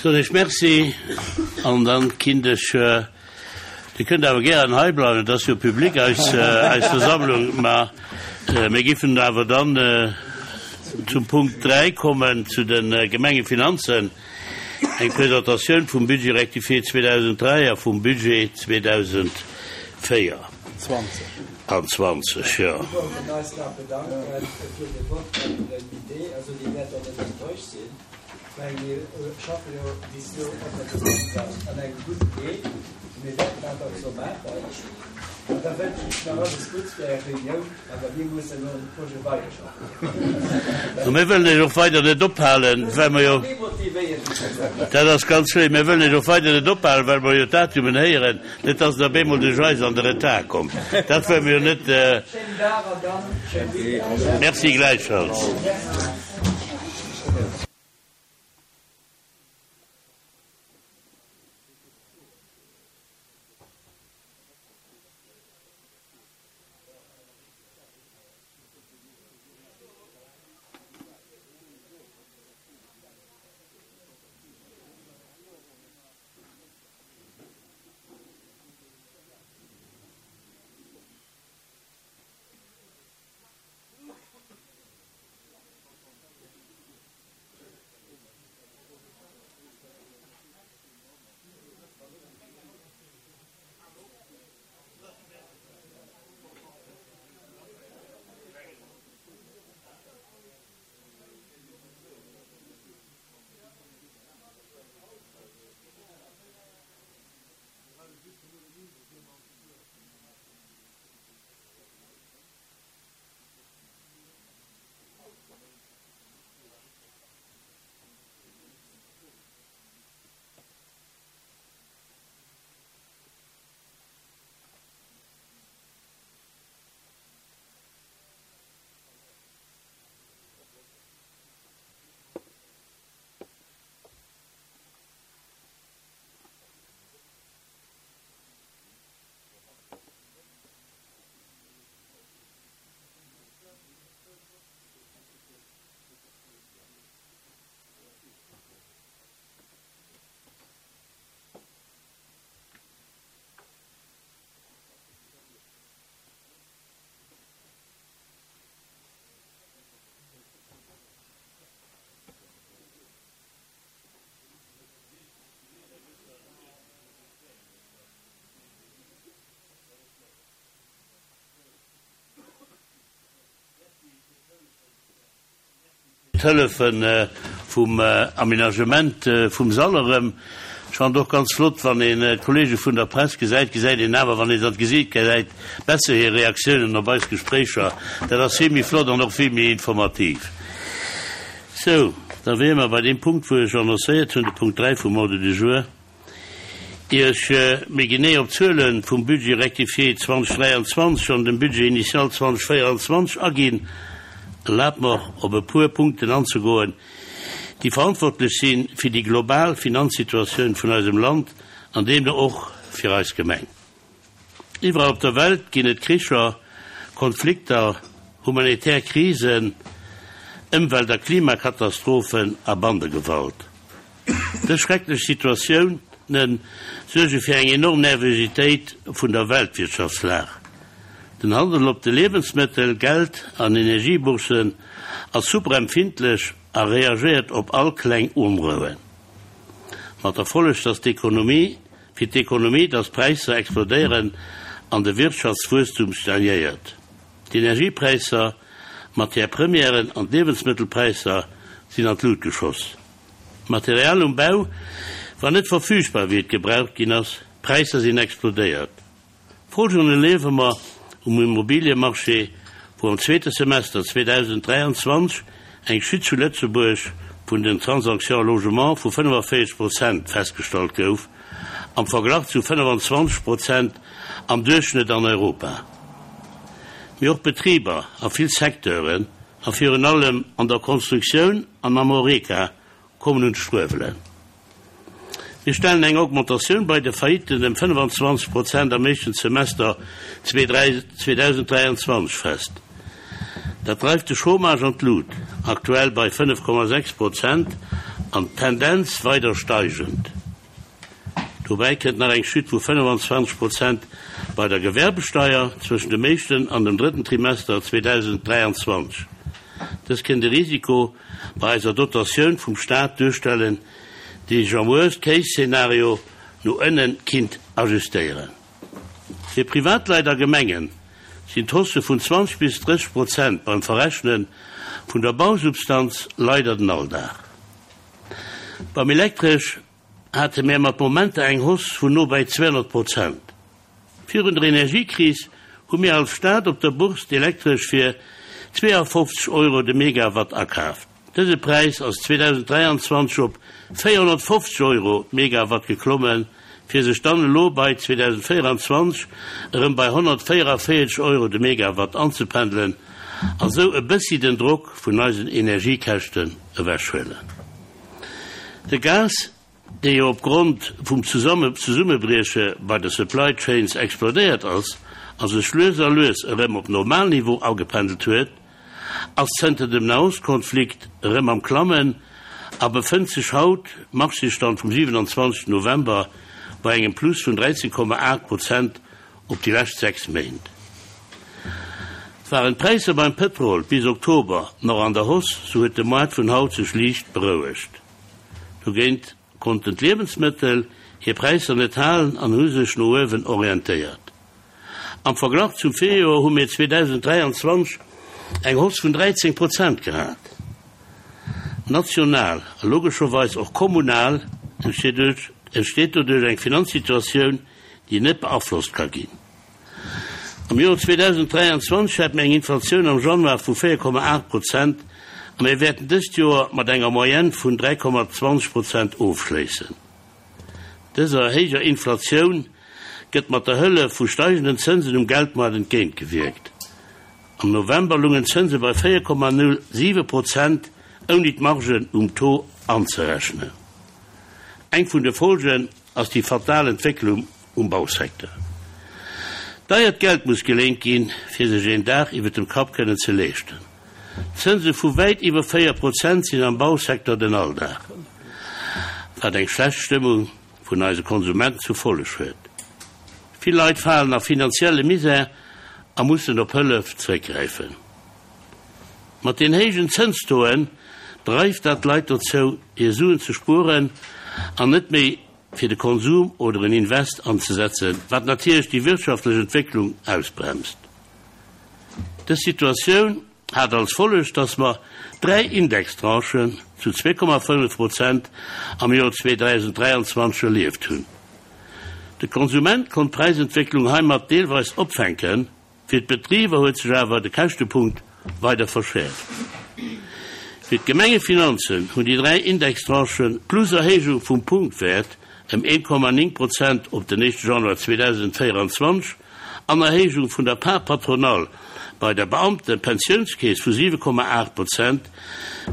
Soen ech Merci an dann kinnt ech, Dir kënnt awer gären hei bleiwen, et ass jo public eis eis Versammlung, mä mir giffen awer dann zum Punkt 3 kommen, zu de Gemengefinanzen, eng Presentatioun vum Budget rectifié 2003 a vum Budget 2004. An 20, jo. Mir wollten eis nach bedanken fir de Vott an den Idee, also déi wäert der net enttäuscht sinn. Well mir schaffe jo bis elo och gemeinsam an engem gudde Wee. Mir wäerten dat och esou maachen. An da wënschen ech nach alles Gutts fir Är Reunioun. Awer mir mussen elo um Projet weiderschaffen. A mir wëllen Iech och weider net ophalen, well mer jo, dat ass ganz léif, mir wëllen Iech och weider net ophalen, well mer jo d'Datumen héieren, net dass Der op eemol duerch eis an de Retard kommt. Dat wëlle mer jo net. Schéinen Dag an dann schéin Weekend. Merci gläichfalls. D'Hëllefe vum Aménagement vum Sall erëm. Ech fannen et och ganz flott, wann een d'Kollege vun der Press gesäit, gesäit een awer, wann ee se an d'Gesiit gesäit, besser hir Reaktiounen op eis Gespréicher. Dat ass vill méi flott an och vill méi informativ. Sou, da wiere mer bei deem Punkt, wou ech annoncéiert hunn, de Punkt 3 vum Ordre du jour. Ier ech méi genee op d'Zuele vum Budget rectifié 2023 an dem Budget initial 2024 aginn, erlaabt mer op e puer Punkten anzegoen, déi verantwortlech si fir déi global Finanzsituatioun vun eisem Land an deemno och fir eis Gemeng. Iwwerall op der Welt ginn et Kricher, Konflikter, humanitär Krisen, Ëmwelt a Klimakatastrophen a Bandegewalt. Dës schrecklech Situatioune suerge fir eng enorm Nervositéit vun der Weltwirtschaftslag. Den Handel op de Liewensmëttel-, Geld an Energiebourssen ass super empfindlech a reagéiert op all kleng Onrouen. Mat der Folleg, dass d'Ekonomie fir d'Ekonomie, dass d'Präisser explodéieren an de Wirtschaftswuesstum stagnéiert. D'Energiepräisser, d'Matière premièren an d'Liewensmëttelpräisser sinn an d'Lut geschoss. D'Material um Bau war net verfügbar wéi et gebraucht ginn ass, d'Präisser sinn explodéiert. Folgen erliewe mer um Immobiliemarché, wou am zweete Semester 2023 eng Chute zu Lëtzebuerg vun den Transactions logement vu 45 Prozent festgestallt gouf, am Verglach zu 25 Prozent am Duerchschnëtt an Europa. Mee och Betriber a vill Secteuren, a virun allem an der Konstruktioun an am Horeca, kommen un d'Struewelen. Mir stellen eng Augmentatioun bei de Faillitten ëm 25 Prozent am éischten Semester 2023 fest. Dat dreift de Chômage an d'Lut, aktuell bei 5,6 Prozent. An d'Tendenz weider steigend. Dobäi kënnt nach eng Chute vu 25 Prozent bei der Gewerbesteier zwëschen dem éischten an dem drëtten Trimester 2023. Dës kënnt e Risiko bei eiser Dotatioun vum Staat duerstellen, déi sech am Worst-Case-Szenario no ënne kinnt ajustéieren. Fir Privatleit a Gemengen sinn d'Haussë vun 20 bis 30 Prozent beim Verrechne vun der Bausubstanz leider den Alldag. Beim Elektresch hate mär mat Momenter eng Hausse vun no bäi 200 Prozent. Virun der Energiekris hu mir als Stad op der Bourse d'Elektresch fir 52 Euro de Megawatt akaaft. Dëse Präis ass 2023 op 450 Euro d'Megawatt geklommen, fir sech dann elo bei 2024 erëm bei 144 Euro de Megawatt anzependelen a sou e bëssi den Drock vun eisen Energiekäschten ewechhuelen. De Gas dee jo opgrond vum Zesummebrieche bei de Supply Chains explodéiert ass a sech lues a lues erëm op Normalniveau agependelt huet, ass zënter dem Nahostkonflikt erëm am Klammen a befënnt sech haut, Marchésstand vum 27 November, bei engem Plus vun 13,8 Prozent op déi lescht 6 Méint. Waren d'Präisser beim Pëtrol bis Oktober nach an der Hausse, sou huet de Moart vun haut sech liicht berouegt. Dogéint konnten d'Liewensmëttel hir Präisser net halen an hu sech no uewen orientéiert. Am Verglach zum Virjoer hu mir 2023 eng Hausse vun 13 Prozent gehat. National a logescherweis och kommunal entsteet doduerch eng Finanzsituatioun, déi net beaflosst ka ginn. Am Joer 2023 hate mir eng Inflatioun am Januar vu 4,8 Prozent a mir wäerten dëst Joer mat enger Moyenne vun 3,20 Prozent ofschléissen. Dëser héijer Inflatioun gëtt mat der Hëllef vu steigenden Zënsen um Geldmoart entgéintgewierkt. Am November lungen d'Zënse bei 4,07 Prozent, ouni d'Margen um Taux anzerechnen. Eng vun de Folgen ass déi fatal Entwécklung um Bausecteur. Deiert Geld muss geléint ginn, fir sech een Daach iwwer dem Kapp kënnen ze leeschten. Zënse vu wäit iwwer 4 Prozent sinn am Bausecteur den Alldag, wat eng schlecht Stëmmung vun eise Konsumenten zur Folleg huet. Vill Leit falen a finanzielle Misär a mussen op Hëllef zeréckgräifen. Mat den héijen Zënstoen dreift dat d'Leit dozou, hir Suen ze spueren an net méi fir de Konsum oder en Invest anzesetzen, wat natierlech déi wirtschaftlech Entwécklung ausbremst. Dës Situatioun hat als Folleg, dass mer dräi Indextranchen zu 2,5 Prozent am Joer 2023 erlieft hunn. De Konsument konnt d'Präisentwécklung heimat deelweis opfänken, Fir d'Betriber huet sech awer de Käschtepunkt weider verschäerft. Fir d'Gemengefinanzen hunn déi 3 Indextranchen plus Erhéijung vum Punktwäert ëm 1,9 Prozent op den éischte Januar 2024 an Erhéijung vun der Part patronale bei der Beamtepensiounskeess vu 7,8 Prozent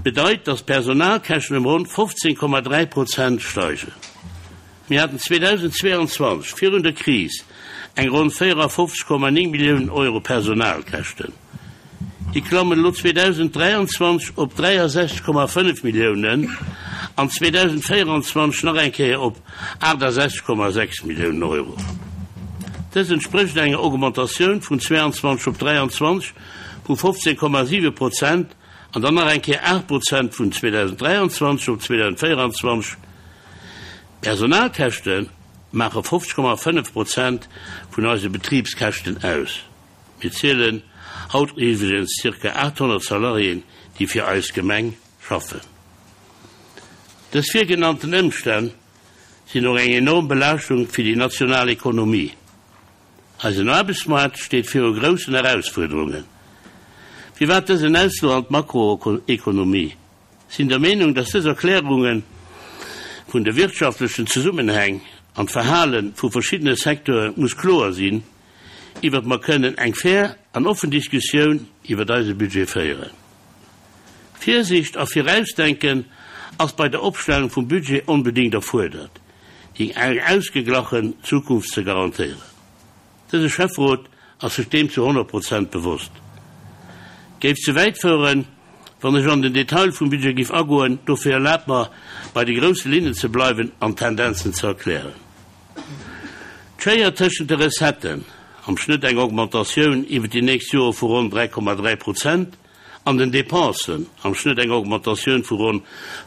bedeit, datt d'Personalkäschten ëm ronn 15,3 Prozent steigen. Mir haten 2022, virun der Kris, eng ronn 54,9 Milliounen Euro Personalkäschten. Déi klammen elo 2023 op 63,5 Milliounen an 2024 nach eng Kéier op 68,6 Milliounen Euro. Dëst entsprécht enger Augmentatioun vun 22 op 23 vu 15,7 Prozent an dann nach eng Kéier 8 Prozent vun 2023 op 2024. D'Personalkäschte maache 50,5 Prozent vun eise Betribskäschten aus. Mir zielen haut iwwregens zirka 800 Salariéen, déi fir eis Gemeng schaffen. Dës virgenannten Ëmstänn sinn och eng enorm Belaaschtung fir déi national Ekonomie. Eisen Aarbechtsmaart steet viru groussen Erausfuerderungen. Firwat dësen Ausfluch an d'Makroekonomie? Sinn der Meenung, dass dës Erklärunge vun de wirtschaftlechen Zesummenhäng an d'Verhale vu verschiddene Secteure muss kloer sinn, iwwert mer kënnen eng fair an offen Diskussioun iwwert eise Budget féieren. Virsicht a Virausdenken ass bei der Opstellung vum Budget onbedéngt erfuerdert, déi eng ausgeglachen Zukunft ze garantéieren. Dëse Schäfferot ass sech deem zu 100 Prozent bewosst. Géif ze wäit foueren, Wann ech an den Detail vum Budget giff agoen, dofir erlaabt mer, bei de grousse Linnen ze bleiwen an d'Tendenzen ze erklären. D'Schéier tëschent de Recetten, am Schnëtt eng Augmentatioun iwwer déi nächst Jore vu ronn 3,3 Prozent, an den Dépensen, am Schnëtt eng Augmentatioun vu ronn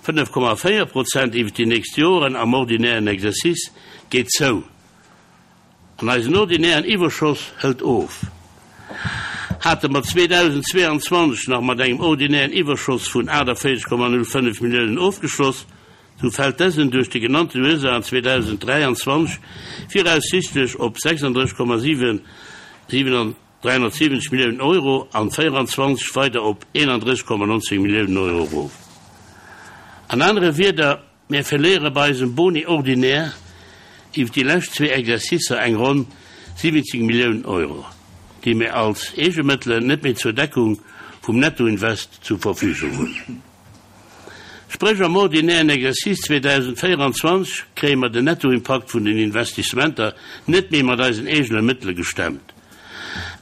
5,4 Prozent iwwer déi nächst Joren am ordinären Exercice, geet zou. An eisen ordinären Iwwerschoss hëlt of. Hate mer 2022 nach mat engem ordinären Iwwerschoss vun 48,05 Milliounen ofgeschloss, sou fält dësen duerch déi genannten Ursaachen 2023 viraussichtlech op 36,7 370 Milliounen Euro an 24 weider op 31,19 Milliounen Euro erof. An anere Wierder, Mir verléiere bei eisem Boni ordinaire iwwer déi lescht zwee Exercicer eng ronn 70 Milliounen Euro, déi mir als Eegemëttelen net méi zur Deckung vum Nettoinvest zur Verfügung hunn. Spréch am ordinären Exercice 2024 kréie mer den Nettoimpakt vun den Investissementer net méi mat eisen eegene Mëttele gestemmt.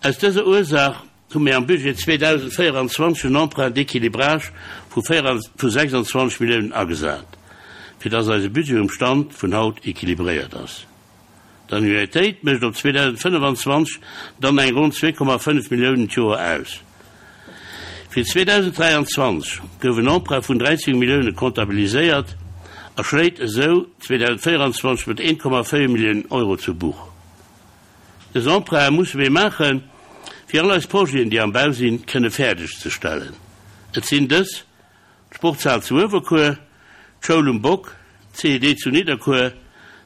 Aus dëser Ursaach hu mir am Budget 2024 en Emprunt d'équilibrage vu 26 Milliounen agesat, fir dass eise Budget um Stand vun haut équilibréiert ass. D'Annuitéit mécht op 2025 dann eng ronn 2,5 Milliounen d'Joer aus. Fir 2023 gouf en Emprunt vun 13 Millioune comptabiliséiert a schléit esou 2024 mat 1,4 Milliounen Euro zu Buch. Dës Emprunte musse mir maachen, fir all eis Projeten, déi am Bau sinn, kënne fäerdeg ze stellen. Et sinn dës, d'Sportshal zu Uewerkuer, d'Schoul um Bock, d'CED zu Nidderkuer,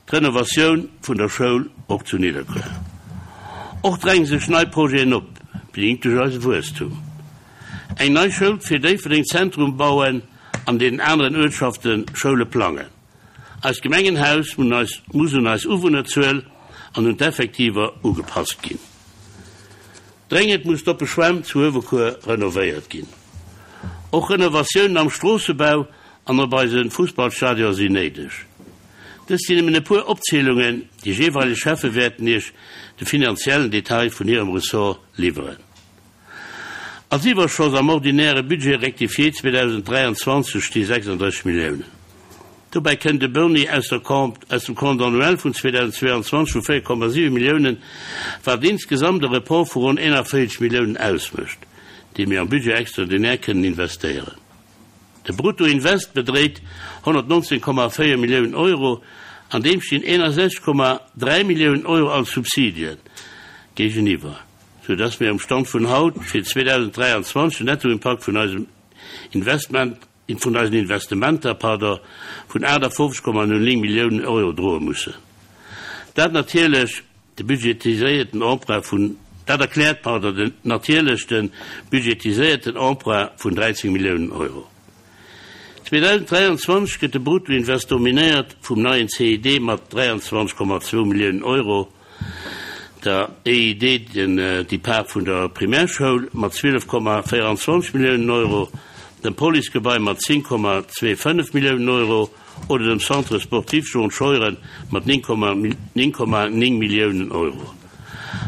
d'Renovatioun vun der Schoul och zu Nidderkuer. Och dränge sech nei Projeten op, bedingt duerch eise Wuesstum. Eng nei Schoul fir Déifferdeng Zentrum bauen, an deenen aneren Uertschafte Schoule plangen. Eist Gemengenhaus muss un eis Uwunnerzuel an un d'Effektiver ugepasst ginn. Dréngend muss d'oppe Schwämm zu Uewerkuer renovéiert ginn. Och Renovatiounen am Stroossebau an op eise Fussballstadion sinn néideg. Dëst sinn nëmmen e puer Opzielungen, déi jeeweileg Schäffe wäerten Iech de finanziellen Detail vun hirem Ressort liwweren. Als Iwwerschoss am ordinäre Budget rectifié 2023 sti 36 Milliounen. Dobäi kënnt e Boni aus der aus dem Compte annuel vun 2022 vu 4,7 Milliounen, wat insgesamt e Report vu ronn 41 Milliounen ausmécht, dee mir am Budget extraordinaire kënnen investéieren. De Bruttoinvest bedréit 119,4 Milliounen Euro, an deem stinn 61,3 Milliounen Euro als Subsidien géigeniwwer. sou dass mir um Stand vun haut fir 2023 den Nettoimpakt vun eisem Investment, vun eisen Investementer, pardon, vun 58,09 Milliounen Euro droe mussen. Dat natierlech de budgetiséierten Emprunt vun, dat erkläert, pardon, den natierlech de budgetiséierten Emprunt vun 13 Milliounen Euro. 2023 gëtt de Bruttoinvest dominéiert vum neien CID mat 23,2 Milliounen Euro, der EID, den Depart vun der Primärschoul, mat 12,24 Milliounen Euro, dem Policegebai mat 10,25 Milliounen Euro oder dem Centre sportif Jean Scheuren mat 9,9 Milliounen Euro.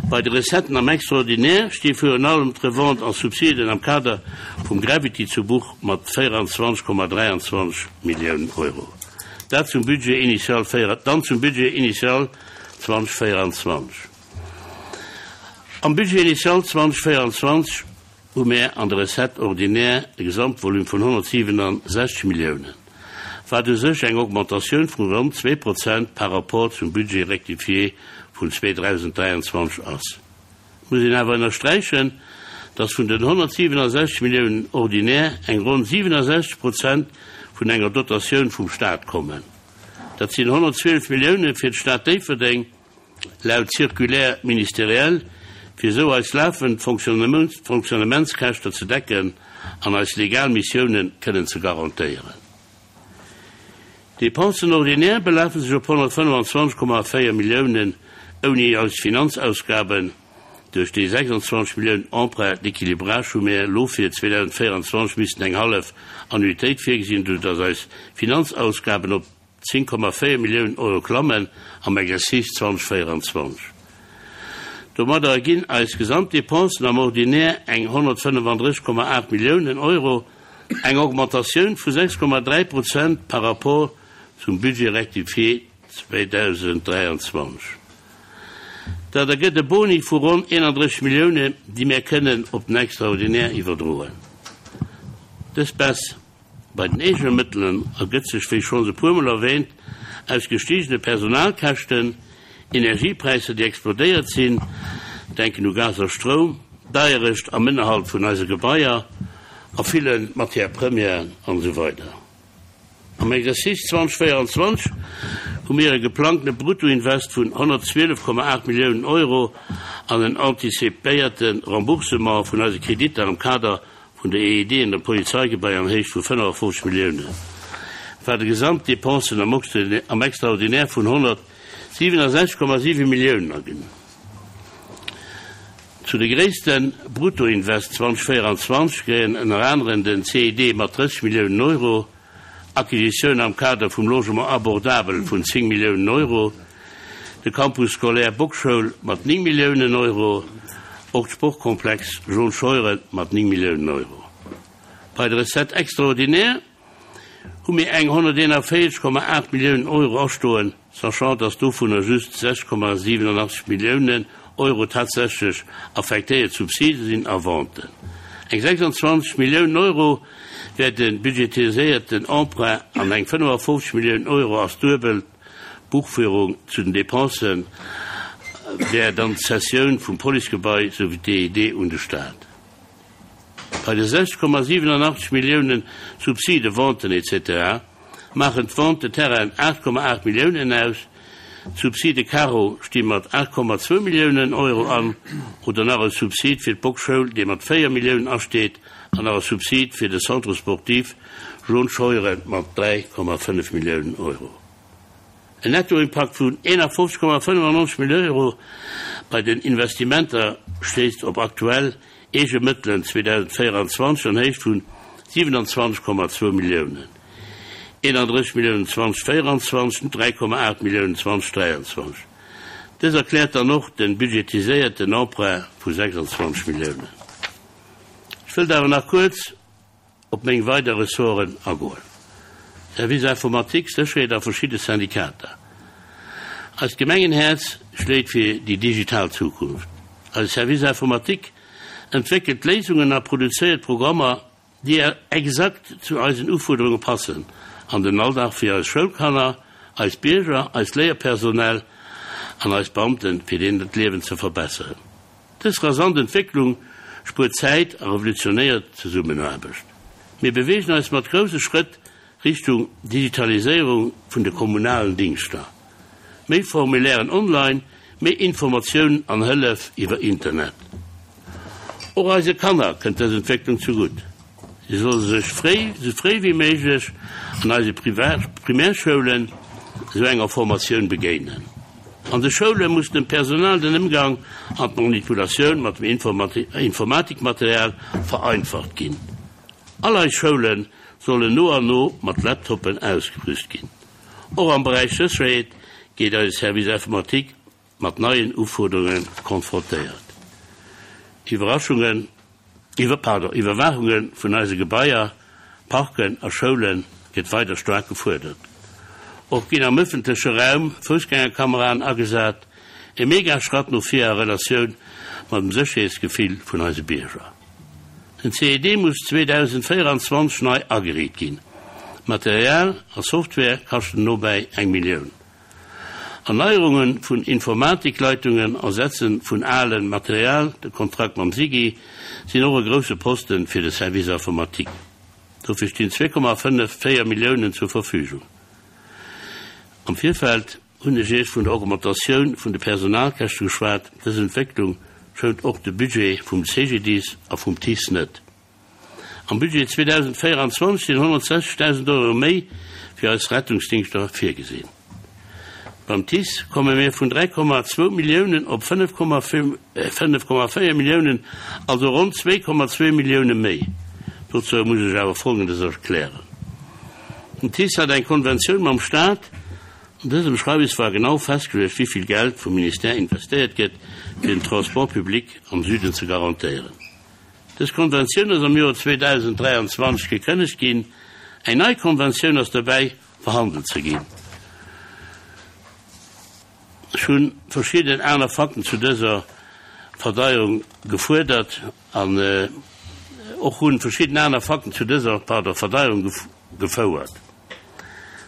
Bei de Recetten am Extraordinaire sti virun allem d'Revente en Subsiden am Kader vum Gravity zu Buch mat 24,23 Milliounen Euro. Dat zum Budget initial dann zum Budget initial 2024. Am Budget initial 2024 hu mär an de Recettes ordinaires e Gesamtvolume vun 167 Milliounen, wat u sech eng Augmentatioun vu ronn 2 Prozent par rapport zum Budget rectifié vun 2023 ass. Et muss een awer ënnersträichen, dass vun den 167 Milliounen ordinaire eng ronn 67 Prozent vun enger Dotatioun vum Stat kommen. Dat sinn 112 Millioune fir d'Stad Déifferdeng, laut Circulaire ministérielle, fir esou eis lafend Fonctionnementskäschter ze decken an eis legal Missiounen kënnen ze garantéieren. D'Dépensen ordinaires belafe sech op 125,4 Milliounen ouni eis Finanzausgaben. Duerch déi 26 Milliounen Emprunt d'équilibrage hu mir elo fir 2024 missen eng hallef Annuitéit virgesinn, esou dass eis Finanzausgaben op 10,4 Milliounen Euro klammen am Exercice 2024. Domadder erginn eis Gesamtdepensen am Ordinaire eng 135,8 Milliounen Euro. Eng Augmentatioun vu 6,3 Prozent par rapport zum Budget rectifié 2023. Dat ergëtt e Boni vu ronn 31 Milliounen, déi mär kënnen op den Extraordinaire iwwerdroen. Dës Baisse bei den eegene Mëttelen ergëtt sech, wéi schonns e puermol erwähnt, aus gestigene Personalkäschten, Energiepräisser, déi explodéiert sinn, denken u Gas a Stroum, Deierecht am Ënnerhalt vun eise Gebaier a ville Matières premières an esou weider. Am Exercice 2024 hu mir e geplangtene Bruttoinvest vun 112,8 Milliounen Euro an en antizipéierte Remboursement vun eise Kreditter am Kader vun der EED an dem Polizeigebai an Héicht vu 55 Milliounen, wat e Gesamtdepensen am Extraordinaire vun 167,7 Milliounen erginn. Zu de gréisste Bruttoinvest 2024 gehéieren ënner aneren den CID mat 30 Milliounen Euro, Acquisitioun am Kader vum Logement abordable vun 10 Milliounen Euro, de Campus scolaire Bockschoul mat 9 Milliounen Euro, och d'Sportkomplex Jaune Scheuren mat 9 Milliounen Euro. Bei de Recettes extraordinaires hu mir eng 141,8 Milliounen Euro astoen, sachant dass dovunner just 6,87 Milliounen Euro tatsächlech affektéiert Subside sinn a Venten. Eng 26 Milliounen Euro wär de budgetiséierten Emprunt an eng 55 Milliounen Euro ass duebel d'Buchführung zu den Dépensen, wär dann d'Cessioun vum Policegebai souwéi d'DED un de Stat. Bei de 6,87 Milliounen Subside, Venten etc. Maachen d'Vente de terrainen 8,8 Milliounen aus, d'Subside Caro sti mat 8,2 Milliounen Euro an, oder nach e Subsid fir d'Bockschoul, dee mat 4 Milliounen asteet, an nach e Subsid fir de Centre sportif Jaune Scheuren mat 3,5 Milliounen Euro. En Nettoimpakt vun 51,95 Milliounen Euro bei den Investimenter stéisst op aktuell eege Mëttelen 2024 an Héicht vun 27,2 Milliounen, 31 Milliounen 2024, 3,8 Milliounen 2023. Dës erkläert dann och de budgetiséierten Emprunt vu 26 Milliounen. Ech wëllt awer nach kuerz op meng weider Ressorten agoen, Service Informatique, Sécherheet a verschidde Syndikater. Eist Gemengenhäerz schléit fir déi digital Zukunft. Eise Service Informatique entwéckelt Léisungen a produzéiert Programmer, déi exakt zu eisen Ufuerderunge passen an den Alldag fir eis Schoulkanner, eis Bierger, eist Léierpersonal an eis Beamten, fir deenen d'Liewen ze verbesseren. Dës rasant Entwécklung spuert Zäit a revolutionéiert d'Zesummenaarbecht. Mir beweegen eis mat grousse Schrëtt Richtung Digitaliséierung vun de kommunalen Dingschter. Méi Formulairen online, méi Informatiounen an Hëllef iwwer Internet. Och eise Kanner kënnt dës Entwécklung zegutt. Si solle sech fréi, sou fréi wéi méiglech an eise Primärschoulen esou enger Formatioun begéinen. An de Schoule muss dem Personal den Ëmgang an d'Manipulatioun mat dem Informatikmaterial vereinfacht ginn. All eis Schoule sollen no an no mat Laptoppen ausgerüst ginn. Och am Beräich Sécherheet gétt eise Service Informatique mat neien Ufuerderunge konfrontéiert. Iwwerraschungen, iwwer, pardon, Iwwerwaachunge vun eise Gebaier, Parken a Schoule gëtt weider staark gefuerdert. Och ginn am ëffentleche Raum Foussgängerkameraen agesat, e mega Schratt no vir a Relatioun mat dem Sécherheetsgefill vun eise Bierger. Den CED muss 2024 nei ageriit ginn. Material a Software kaschten nobäi eng Millioun. Erneierunge vun Informatikleitungen, Ersetze vun ale Material, de Kontrakt mam SIGI, sinn och e grousse Poste fir de Service informatique. Dofir stinn 2,54 Milliounen zur Verfügung. Am Virfeld hunn ech Iech vun der Augmentatioun vun de Personalkäschte geschwat. Dës Entwécklung schount och de Budget vum CGDIS a vum TICE net. Am Budget 2024 sinn 160.000 Euro méi fir eis Rettungsdingschter virgesinn. Beim TICE komme mir vun 3,2 Milliounen op 5,4 Milliounen, also ronn 2,2 Millioune méi. Dozou muss ech awer Folgendes erklären, Den TICE hat eng Konventioun mam Staat. An dësem Schreiwes war genau festgeluecht, wéi vill Geld vum Ministère investéiert gëtt, fir den Transport public am Süden ze garantéieren. Dës Konventioun ass am Joer 2023 gekënnegt ginn. Eng nei Konventioun ass dobäi verhandelt ze ginn. Ech hu verschidden aner Fakten zu dëser Verdeierung gefuerdert an och hu verschidden aner Fakten zu dëser, pardon, Verdeierung gefouert.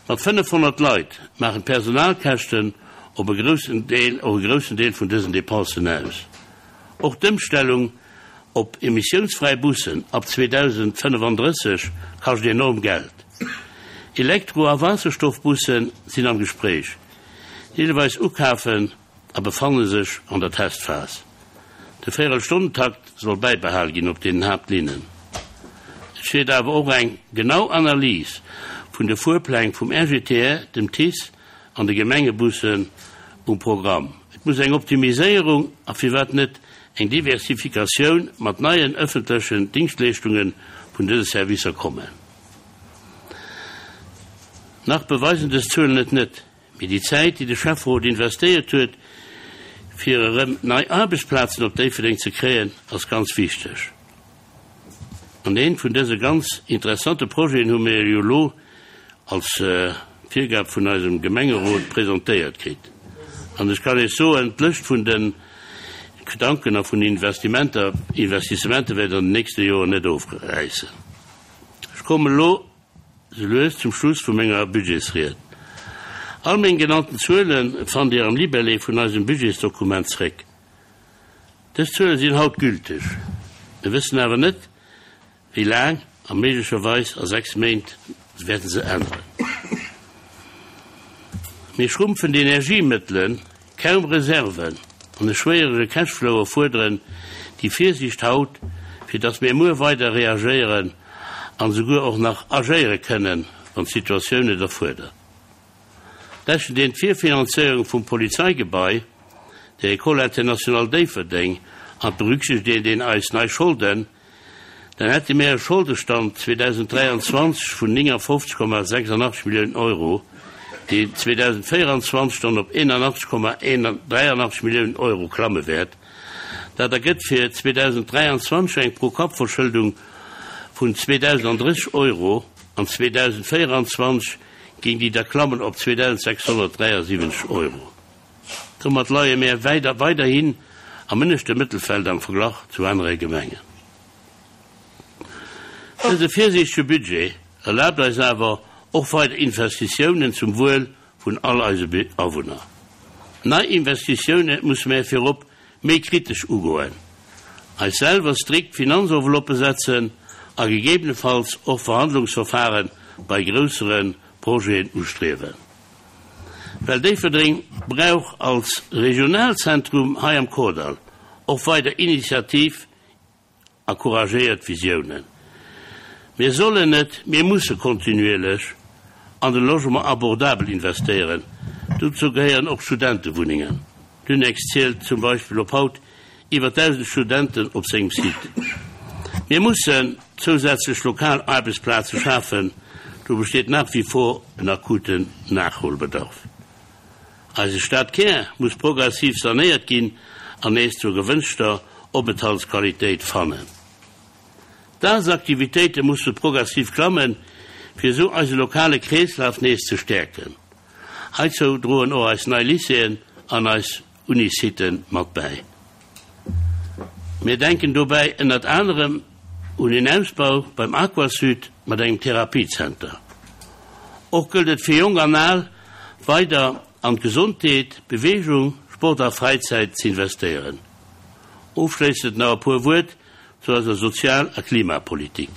Mat 500 Leit maachen d'Personalkäschten op e groussen Deel och e groussen Deel vun dësen Dépensen aus. Och d'Ëmstellung op emissiounsfräi Bussen ab 2035 kascht enorm Geld. Elektro a Waasserstoffbusse sinn am Gespréich, deelweis ukafen a befanne sech an der Testphas. De Véierelstonnentakt soll bäibehal ginn op deenen Haaptlinnen. Et steet awer och eng genau Analys vun de Fuerpläng vum RGTR, dem TICE an de Gemengebussen um Programm. Et muss eng Optimiséierung a firwat net eng Diversifikatioun mat neien ëffentlechen Dingschtleeschtunge vun dëse Servicer kommen. Nach beweisen dës Zuelen et net, mee déi Zäit, déi de Schäfferot investéiert huet, fir erëm nei Aarbechtsplazen op Déifferdeng ze kréien, ass ganz wichteg. An eent vun dëse ganz interessante Projeten hu mir jo elo als Virgab vun eisem Gemengerot presentéiert kritt. An ech kann Iech soen, d'Lëscht vun de Gedanken a vun Investimenter, Investissementer wäert an den nächste Joren net ofräissen. Ech kommen elo sou lues zum Schluss vu menger Budgetsried. All meng genannten Zuele fannt Dir am Libellé vun eisem Budgetsdokument zréck. Dës Zuele sinn haut gülteg. Mir wëssen awer net, wéi laang, a méiglecherweis a 6 Méint wäerte se änneren. Mee schrumpfend Energiemëttelen, kaum Reserven an e schwéierege Cashflow erfuerderen déi Virsiicht haut, fir datt mir muer weider reagéieren an esouguer och nach agéiere kënnen, wann d'Situatioun et erfuerdert. Rechent een d'Virfinanzéierung vum Polizeigebai, der École internationale Déifferdeng an berücksichtegt een eis nei Scholden, dann hätte mir e Scholdestand 2023 vun 59,86 Milliounen Euro, deen 2024 dann op 81,83 Milliounen Euro klamme wäert. Dat ergëtt fir 2023 eng Pro-Kapp-Verschëldung vun 2.030 Euro an 2024 géing déi da klammen op 2.673 Euro. Domat leie mär weiderhin am ënneschte Mëttelfeld am Verglach zu anere Gemengen. Dëse virsiichtege Budget erlaabt eis awer och weider Investitiounen zum Wuel vun all eise Awunner. Nei Investitioune musse mär virop méi kritesch ugoen, eis selwer strikt Finanzenveloppe setzen a gegebenefalls och Verhandlungsverfahre bei groussere Projeten ustriewen. Well Déifferdeng brauch als Regionalzentrum hei am Kordall och weider Initiativ a couragéiert Visiounen. Mir sollen net, mir musse kontinuierlech an de Logement abordabel investéieren. Dozou gehéieren och Studentewunnengen. D'Unex zielt zum Beispill op haut iwwer 1.000 Studenten op sengem Site. Mir mussen zousätzlech lokal Aarbechtsplaze schafen, do besteet nach wie vor en akuten Nachholbedarf. Eise Stadkär muss progressiv sanéiert ginn an nees zur gewënschter Openthaltsqualitéit fannen. D'Dagesaktivitéite musse progressiv klammen, fir esou eise lokale Kreeslaf nees ze stäerken. Heizou droen och eis nei Lycéeën an eis Unisiten mat bäi. Mir denken dobäi ënnert anerem un een Ausbau beim Aquasud mat engem Therapiezenter. Och gëllt et fir Jonk an Al weider an d'Gesondheet, Beweegung, Sport a Fräizäit z'investéieren. Ofschléissend nach e puer Wuert zu eiser Sozial a Klimapolitik.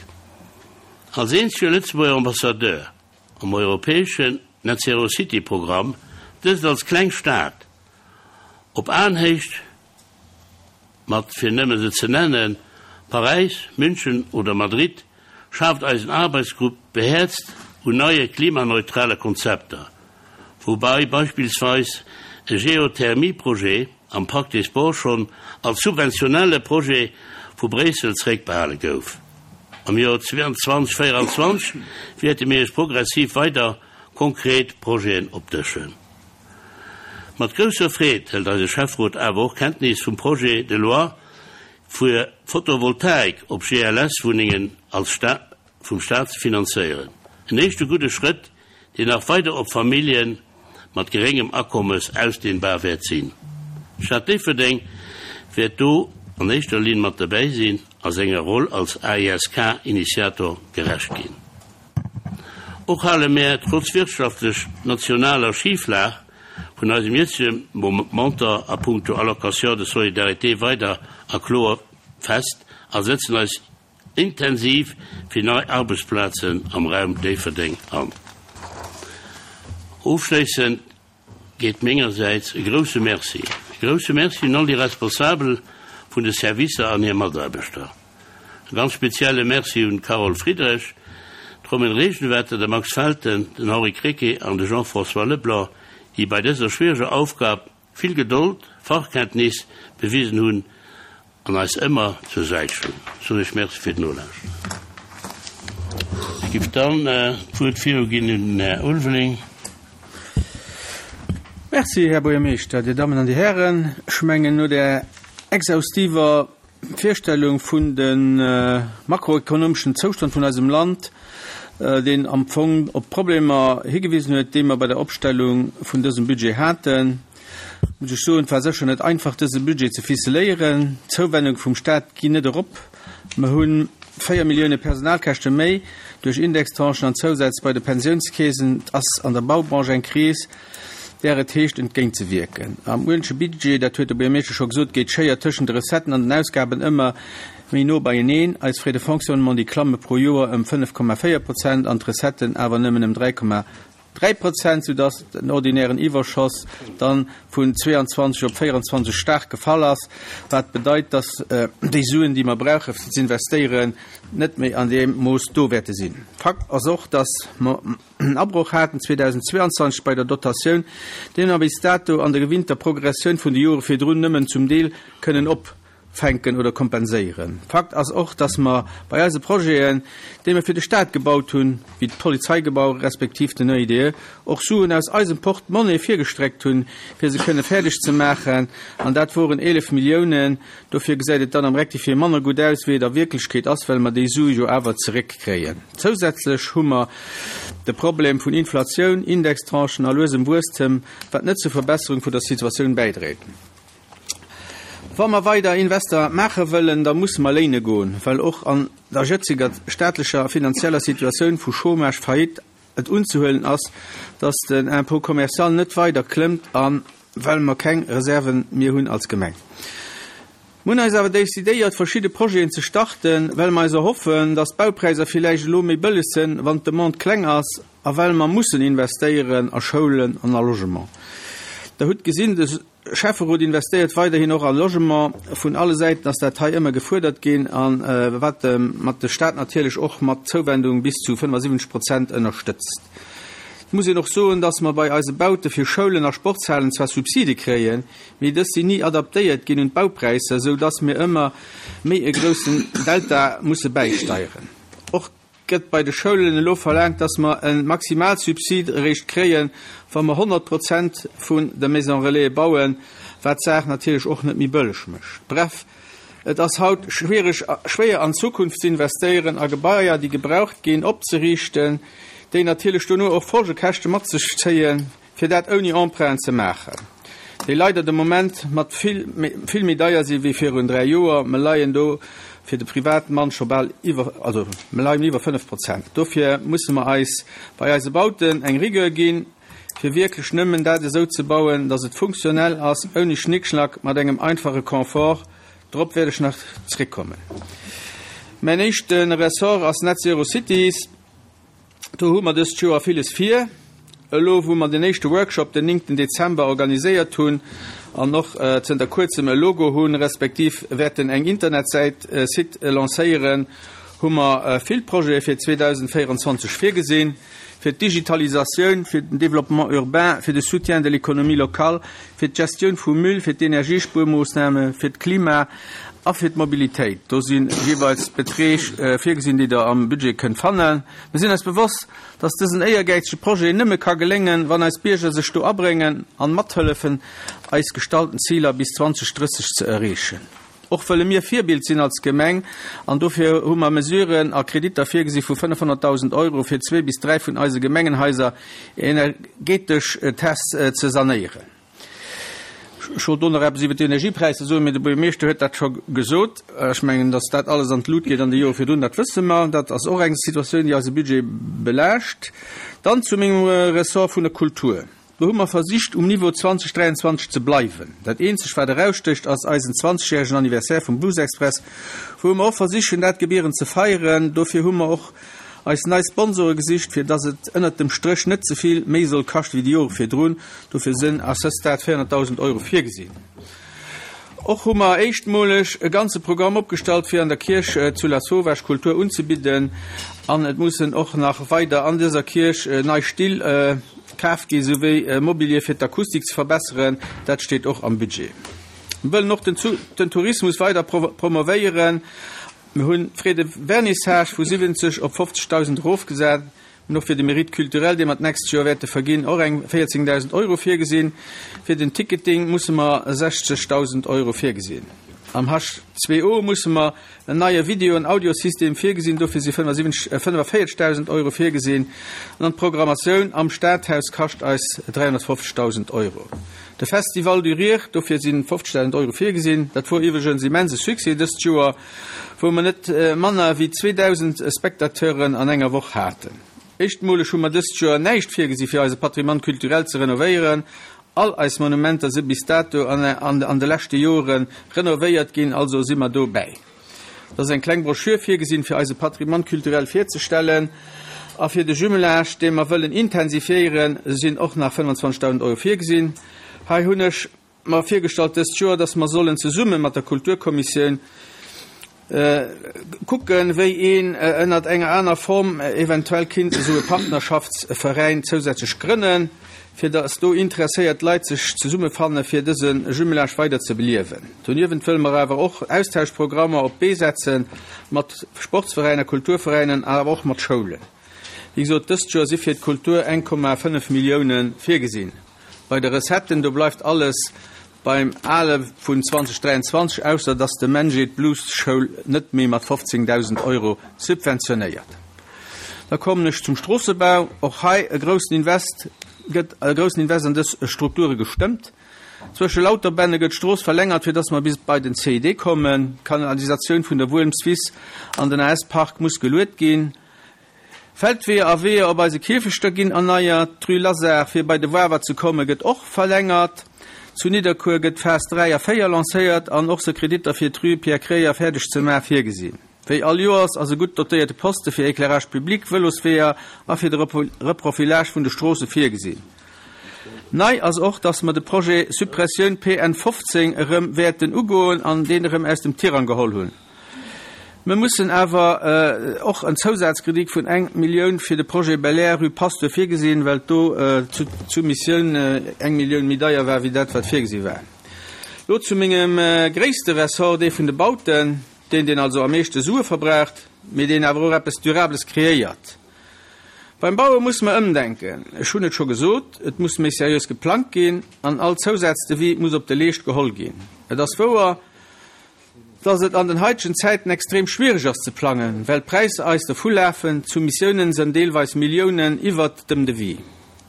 Als eenzege Lëtzebuerger Ambassadeur am europäeschen Net Zero City Programm, dëst als kleng Stad op Aenhéicht mat, fir nëmme se ze nennen, Paräis, München oder Madrid, schaaft eisen Arbeitsgrupp behäerzt un neie klimaneutrale Konzepter, woubai beispillsweis e Geothermieprojet am Parc des Sports schonn als subventionelle Projet vu Bréissel zeréckbehale gouf. Am Joer 2024 wäerte mir Iech progressiv weider konkret Projeten opdëschen. Mat grousser Freed hëlt eise Schäfferot awer och Kenntnis vum Projet de loi. Fir Photovoltaik op GLS-Wunnengen als Sta vum Staat ze finanzéieren. En éischte gudde Schrëtt, deen nach weider op Famillje mat geréngem Akommes ausdehnbar wäert sinn. D'Stad Déifferdeng wäert do an éischter Linn mat derbäi sinn a senger Roll als AISK-Initiator gerecht ginn. Och hale mär trotz wirtschaftlech nationaler Schiflag vun eisem jëtzege Montant a puncto Allocation de solidarité weider a kloer fest a sëtzen eis intensiv fir nei Arbechtsplazen am Raum Déifferdeng an. Ofschléissend geet mengersäits e grousse Merci, e grousse Merci un all déi Responsabel vun de Servicer an hir Mataarbechter. E ganz spezielle Merci un d'Carole Friedrich, d'Romaine Regenwetter, de Max Felten, den Henri Krecké an de Jean-François Leblanc, déi bei dëser schwiereger Aufgab vill Gedold, Fachkenntnis bewisen hunn an eis ëmmer zur Säit stoungen. Ech soen Iech Merci fir d'Nolauschteren. Ech giff dann d'Wuert viruginn un den Här Ulveling. Merci, Här Buergermeeschter, Dir Dammen an Dir Hären. Ech mengen, no där exhaustiver Virstellung vun de makroekonomeschen Zoustand vun eisem Land, deen am Fong op d'Problemer higewisen huet, déi mer bei der Opstellung vun dësem Budget haten, muss ech soen, et war sécher net einfach, dëse Budget ze ficeléieren. D'Zouwennung vum Stat ginn net erop. Mer hu 4 Millioune Personalkäschte méi duerch Indextranchen an Zousätz bei de Pensiounskeesen. Et ass an der Baubranche eng Kris. där et heescht entgéintzewierken. Am uelentleche Budget, dat huet de Buergermeeschter scho gesot, geet d'Schéier tëschent de Recetten an den Ausgaben ëmmer méi no beieneen. Eis Frais de fonctionnement, déi klamme pro Joer ëm 5,4 Prozent an d'Recetten awer nëmmen ëm 3,3 Prozent, soudass den ordinären Iwwerschoss dann vun 22 op 24 staark gefall ass, wat bedeit, dass déi Suen, déi mer brauche fir z'investéieren, net méi an deem Mooss do wäerte sinn. Fakt ass och, dass mer en Abroch haten 2022 bei der Dotatioun, dee mer bis dato an der gewinnter Progressioun vun de Jore virdrun nëmmen zum Deel kënnen opfänken oder kompenséieren. Fakt ass och, dass mer bei eise Projeten, déi mer fir de Stat gebaut hunn, wéi d'Polizeigebau respektiv den EIDE, och Suen aus eisem Porte-monnaie virgestreckt hunn, fir se kënne fäerdeg ze maachen, an dat woren 11 Milliounen. Dofir gesäit et dann am Rectifié manner gutt aus, wéi et a Wierklechkeet ass, well mer déi Sue jo awer zeréckkréien. Zousätzlech hu mer de Problem vun Inflatioun, Indextranchen a luesem Wuesstem, wat net zur Verbesserung vun der Situatioun bäidréit. Wa mer weider Invester maache wëllen, da musse mer léine goen, well och an der jëtzeger staatlecher a finanzieller Situatioun vu Chômage, Faillite, et unzehuelen ass, dass den Impôt commercial net weider klëmmt a well mer keng Reserven mir hunn als Gemeng. Mer hunn eis awer décidéiert, verschidde Projeten ze starten, well mer eis erhoffen, dass d'Baupräiser villäicht elo méi bëlleg sënn, wann d'Demande kleng ass a well mer mussen investéieren a Schoulen an a Logement. Der hutt gesinn, de. Schäfferot investéiert weiderhin och a Logement. Vun alle Säiten ass dat hei ëmmer gefuerdert ginn a wat mat de Staat natierlech och mat Zouwendung bis zu 75 Prozent ënnerstëtzt. Et muss een och soen, dass mer bei eise Baute fir Schoulen a Sportshalen zwar Subside kréien, mee dës sinn ni adaptéiert ginn un d'Baupräisser, esou dass mir ëmmer méi e groussen Delta musse bäisteieren. Och Gëtt bei de Schoulen elo verlaangt, dass mer e Maximalsubsid eréischt kréien, wa mer 100 Prozent vun de Maisons Relaisen bauen, wat d'Saach natierlech och net méi bëlleg mécht. Bref, et ass haut schwiereg, schwéier an d'Zukunft ze investéieren a Gebaier, déi gebraucht ginn, opzeriichten, déi natierlech dono och Folgekäschte mat sech zéien. fir dat ouni Emprunten ze maachen, déi leider de Moment mat vill vill méi deier si wéi virun 3 Joer. Mer leien do fir de Privatmann scho bal iwwer, also mer leien iwwer 5 Prozent. Dofir musse mer eis bei eise Bauten eng Rigueur ginn, fir wierklech nëmmen dat esou ze bauen, datt et funktionell ass, ouni Schnickschnack, mat engem einfache Confort. Drop wäert ech nach zréckkommen. Mäin éischte Ressort ass Net Zero Cities. Do hu mer dëst Joer villes vir. Elo wou mer den éischte Workshop den 9 Dezember organiséiert hunn an och zënter kuerzem e Logo hunn, respektiv wäerten eng Internetsäit, Site, lancéieren, hu mer vill Projete fir 2024 virgesinn, fir d'Digitalisatioun, fir den Développement urbain, fir de Soutien de l'économie locale, fir d'Gestioun vum Müll, fir d'Energiespuermoossname, fir d'Klima a fir d'Mobilitéit. Do si jeeweils Beträg virgesinn, déi Der am Budget kënnt fannen. Mir sinn eis bewosst, dass dësen éiergäizege Projet nëmme ka geléngen, wann eis Bierger sech do abréngen an mathëllefen, eis gestallten Ziler bis 2030 ze erreechen. Och wëlle mir Virbild sinn als Gemeng an dofir hu mer Mesuren a Kreditter virgesi vu 500.000 Euro fir zwee bis dräi vun eise Gemengenhaiser energetesch ze sanéieren. Ech wollt do nach eppes iwwer d'Energiepräisser soen, mee de Buergermeeschter huet dat scho gesot. Ech mengen, datt dat alles an d'Lut geet an de Jore virdrun, dat wësse mer. Dat ass och eng Situatioun, déi eise Budget belaascht. Dann zu mengem Ressort vun der Kultur. Do hu mer versicht, um Niveau 2023 ze bleiwen. Dat eenzegt, wat erausstécht, ass eisen zwanzegjäregen Anniversaire vum Blues Express, wou mer och versichen, dat gebierend ze feieren. Dofir hu mer och eis nei Sponsore gesicht, fir dass et ënnert dem Stréch net ze vill méi soll kaschte wéi déi Jore virdrun. Dofir sinn à ce stade 400.000 Euro virgesinn. Och hu mer éischtmoleg e ganze Programm opgestallt, fir an der Kierch zu Lasauvage Kultur unzebidden. An et mussen och nach weider an dëser Kierch nei Still kaf gi souwéi Mobilier fir d'Akustik ze verbesseren. Dat steet och am Budget. Mir wëllen och den Tourismus weider promovéieren. Mir hunn d'Frais de vernissage vu 70 op 50.000 erofgesat. Mir hunn och fir de Mérite culturel, dee mer d'nächst Joer wäerte verginn, och eng 14.000 Euro virgesinn. Fir den Ticketing musse mer 60.000 Euro virgesinn. Am H2O musse mer en neie Video an Audiosystem virgesinn, dofir si 45.000 Euro virgesinn. An d'Programmatioun am Stadhaus kascht eis 350.000 Euro. De Festival du Rire, dofir si 50.000 Euro virgesinn. Dat wor iwwregens immense Succès dëst Joer, wou mer net manner wéi 2.000 Spectateuren an enger Woch haten. Éischtmoleg hu mer dëst Joer näischt virgesi fir eise Patrimoine culturel ze renovéieren. All eis Monumenter si bis dato an de leschte Jore renovéiert ginn, also si mer do bäi. Et ass eng kleng Broschür virgesinn, fir eise Patrimoine culturel virzestellen. A fir de Jumelage, dee mer wëllen intensifiéieren, sinn och nach 25.000 Euro virgesinn. Hei hunn ech mer virgestallt dëst Joer, dass mer sollen zesumme mat der Kulturkommissioun kucken, wéi een ënnert enger aner Form eventuell kinnt esou e Partnerschaftsveräin zousätzlech grënnen, fir dass do interesséiert Leit sech zesummefanne fir dëse Jumelage weider ze beliewen. Doniewent wëlle mer awer och Austauschprogrammer op d'Bee setze mat Sportsveräiner, Kulturveräinen an awer och mat Schoulen. Wéi gesot, dëst Joer si fir d'Kultur 1,5 Millioune virgesinn. Bei de Recetten, do bleift alles beim Ale vun 2023, ausser dass de MENJE d'Blues-Schoul net méi mat 15.000 Euro subventionéiert. Da kommen ech zum Stroossebau. Och hei e groussen Invest, gëtt e groussen Invest an dës Strukture gestëmmt. Zwësche Lauterbänne gëtt d'Strooss verlängert, fir dass mer bis bei den CID kommen. D'Kanalisatioun vun der Wuelmswiss an den AS-Park muss geluet ginn. Feldweeër a Weeër op eise Kierfechter ginn erneiert. D'Rue Lazare, fir bei de Wawer ze kommen, gëtt och verlängert. Zu Nidderkuer gëtt d'Phas 3 a 4 lancéiert an och se Kreditter fir d'Rue Pierre Kreyer fäerdeg ze maachen virgesinn. Wéi all Joers ass e gutt dotéierte Poste fir Éclairage public, Vëlosweeër a fir de Reprofilage vun de Stroosse virgesinn. Nei ass och, dass mer de Projet Suppressioun PN 15 erëm wäerten ugoen an deen erëm aus dem Tirang geholl hunn. Mer mussen awer och en Zousazkredit vun eng Millioun fir de Projet Belair, rue Pasteur virgesinn, well do d'Soumissioun eng Millioun méi deier war wéi dat wat virgesi war. Lo zu mengem gréisste Ressort, dee vun de Bauten. Deen, deen also am meeschte Sue verbraucht, mee deen awer och eppes Durables kreéiert. Beim Baue musse mer ëmdenken. Ech hunn et scho gesot, et muss méi seriös geplangt ginn an all Zousazdevis muss op de Leescht geholl ginn. Et ass wouer, dass et an den haitegen Zäiten extrem schwiereg ass ze plangen, well d'Präisser eis dervulafen, d'Soumissiounen sënn deelweis Milliounen iwwert dem Devis.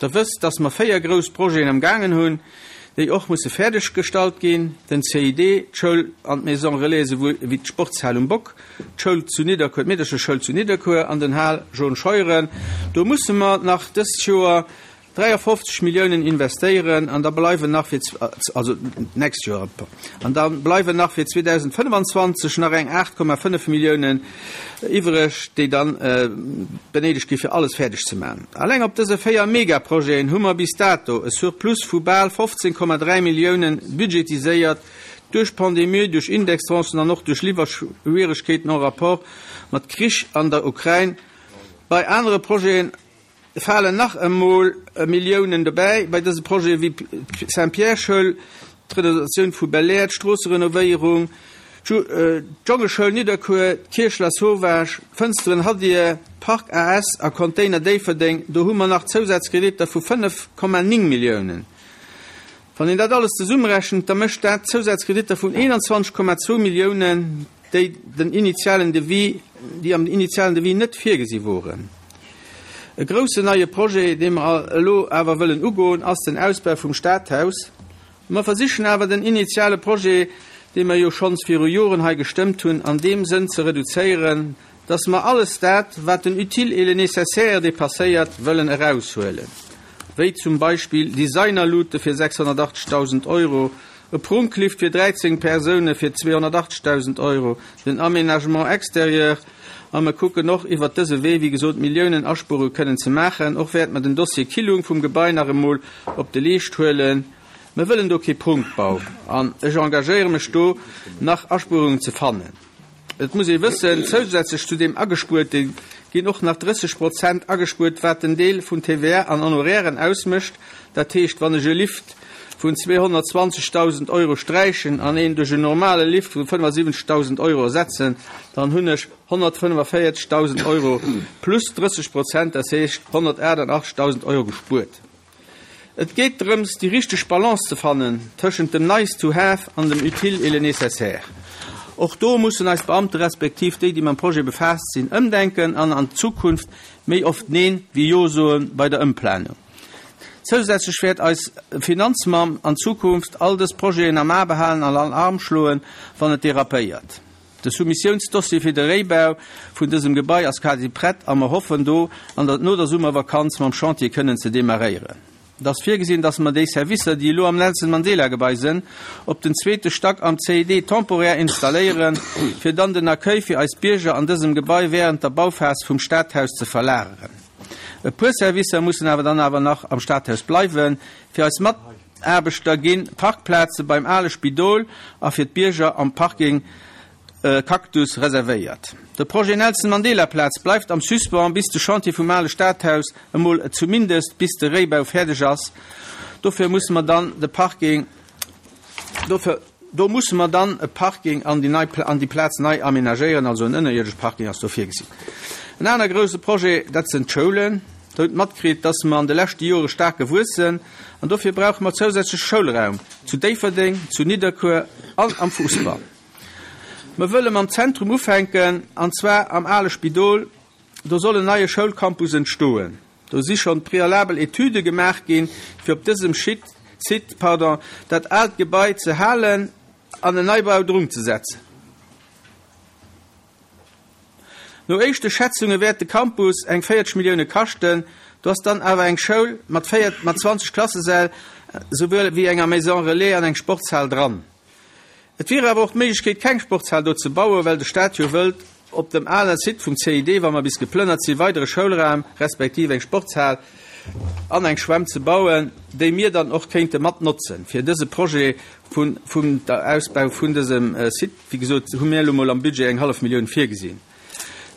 Der wësst, dass mer 4 grouss Projeten am gaangen hunn, déi och musse fäerdeg gestallt ginn, den CID, d'Schoul an d'Maison Relais esouwuel ewéi d'Sportshal um Bock, d'Schoul zu Nidderkuer, d'Meedercheschoul zu Nidderkuer an den Hal Jaune Scheuren. Do musse mer nach dëst Joer 53 Milliounen investéieren an da bleiwen nach fir, also d'nächst Joer, an da bleiwen nach fir 2025 nach eng 8,5 Milliounen iwwreg, déi dann benéidegt gi fir alles fäerdeg ze maachen. Alleng op dëse 4 Megaprojeten hu mer bis dato e Surplus vu bal 15,3 Milliounen budgetiséiert, duerch d'Pandemie, duerch Indextranchen an och duerch Liwwerschwieregkeeten en rapport mat Krich an der Ukrain. Bei anere Projeten falen nach emol Milliounen dobäi. Bei dëse Projete wéi d'Saint-Pierre-Schoul, d'Renovatioun vu Belair, d'Stroosserenovéierung, d'Jongeschoul Nidderkuer, d'Kierch Lasauvage, d'Fënsteren Hadir, Park AS a Container Déifferdeng, do hu mer nach Zousazkreditter vu 5,9 Milliounen. Wann een dat alles zesummerechent, da mécht dat Zousazkreditter vun 21,2 Milliounen, déi den initialen Devis, déi am initialen Devis net virgesi woren. E groussen neie Projet, dee mer elo awer wëllen ugoen, ass den Ausbau vum Stadhaus. Mer versichen awer den initiale Projet, dee mer jo schonns viru Joren hei gestëmmt hunn, an deem Sënn ze reduzéieren, dass mer alles dat, wat den Utile et le Nécessaire dépasséiert, wëllen eraushuelen, wéi zum Beispill Designerlute fir 680.000 Euro, e Prunklift fir 13 Persoune fir 280.000 Euro, den Aménagement extérieur, a mer kucken och iwwert dëse Wee, wéi gesot, Milliounen Aspuerunge kënnen ze maachen. Och wäerte mer den Dossier Killung vum Gebai nach emol op de Leescht huelen. Mer wëllen do kee Prunkbau an ech engagéiere mech do nach Aspuerungen ze fannen. Et muss ee wëssen, zousätzlech zu deem Agespuerte ginn och nach 30 Prozent agespuert, wat den Deel vun TVA an Honorairen ausmécht. Dat heescht, wann ech e Lift vun 220.000 Euro sträichen an een duerch en normale Lift vu 75.000 Euro ersetzen, dann hunn ech 145.000 Euro plus 30 Prozent, dat heescht 188.000 Euro gespuert. Et geet drëms, déi richteg Balance ze fannen tëschent dem nice to have an dem utile et le nécessaire. Och do mussen eis Beamte respektiv déi, déi mam Projet befaasst sinn, ëmdenken an an Zukunft méi oft Neen wéi Jo soe bei der Ëmplanung. Zousätzlech wäert eis Finanzmamm an Zukunft all dës Projeten am A behalen an Alarm schloen, wann et derapéiert. De Soumissiounsdossier fir de Réibau vun dësem Gebai ass quasi prett a mer hoffen do an der no der Summervakanz mam Chantier kënnen ze demarréieren. Et ass virgesinn, dass mer déi Servicer, déi elo am Nelson Mandela Gebai sënn, op den zweete Stack am CID temporär installéieren, fir dann den Accueil fir eis Bierger an dësem Gebai während der Bauphas vum Stadhaus ze verlageren. E puer Servicer mussen awer dann awer nach am Stadhaus bleiwen, fir eis Mat. Aarbechter ginn Parkplaze beim ale Spidol a fir d'Bierger am Parking Cactus reservéiert. De Projet Nelson Mandela Plaz bleift am Suspens bis de Chantier vum ale Stadhaus, emol zumindest bis de Réibau fäerdeg ass. Dofir musse mer dann de Parking dofir do musse mer dann e Parking an déi nei an déi Plaz nei amenagéieren, also en ënnerierdesche Parking ass do virgesinn. En aner grouse Projet, dat sënn d'Schoulen. Der hutt matkritt, dass mer an de leschte Jore staark gewuess sënn an dofir brauche mer zousätzlech Schoulraum zu Déifferdeng, zu Nidderkuer an am Fuussball. Mer wëlle mam Zentrum ufänken, an zwar am ale Spidol. Do soll en neie Schoulcampus entstoen. Do si schonn prealabel Etüde gemaach ginn, fir op dësem Site, pardon, dat aalt Gebai ze halen an en Neibau drun ze setzen. No éischte Schätzunge wäert de Campus eng 40 Millioune kaschten. Do ass dann awer eng Schoul mat 20 Klassesäll souwuel wéi enger Maison Relais an eng Sportshal dran. Et wier awer och d'Méiglechkeet keng Sportshal do ze bauen, well de Staat jo wëllt op dem ale Site vum CID, wa mer bis geplënnert sinn, weidere Schoulraum respektiv eng Sportshal an eng Schwämm ze bauen, déi mir dann och kéinte mat notzen fir dëse Projet vun vum der Ausbau vun dësem Site. Wéi gesot hu mir elo mol am Budget eng hallef Millioun virgesinn.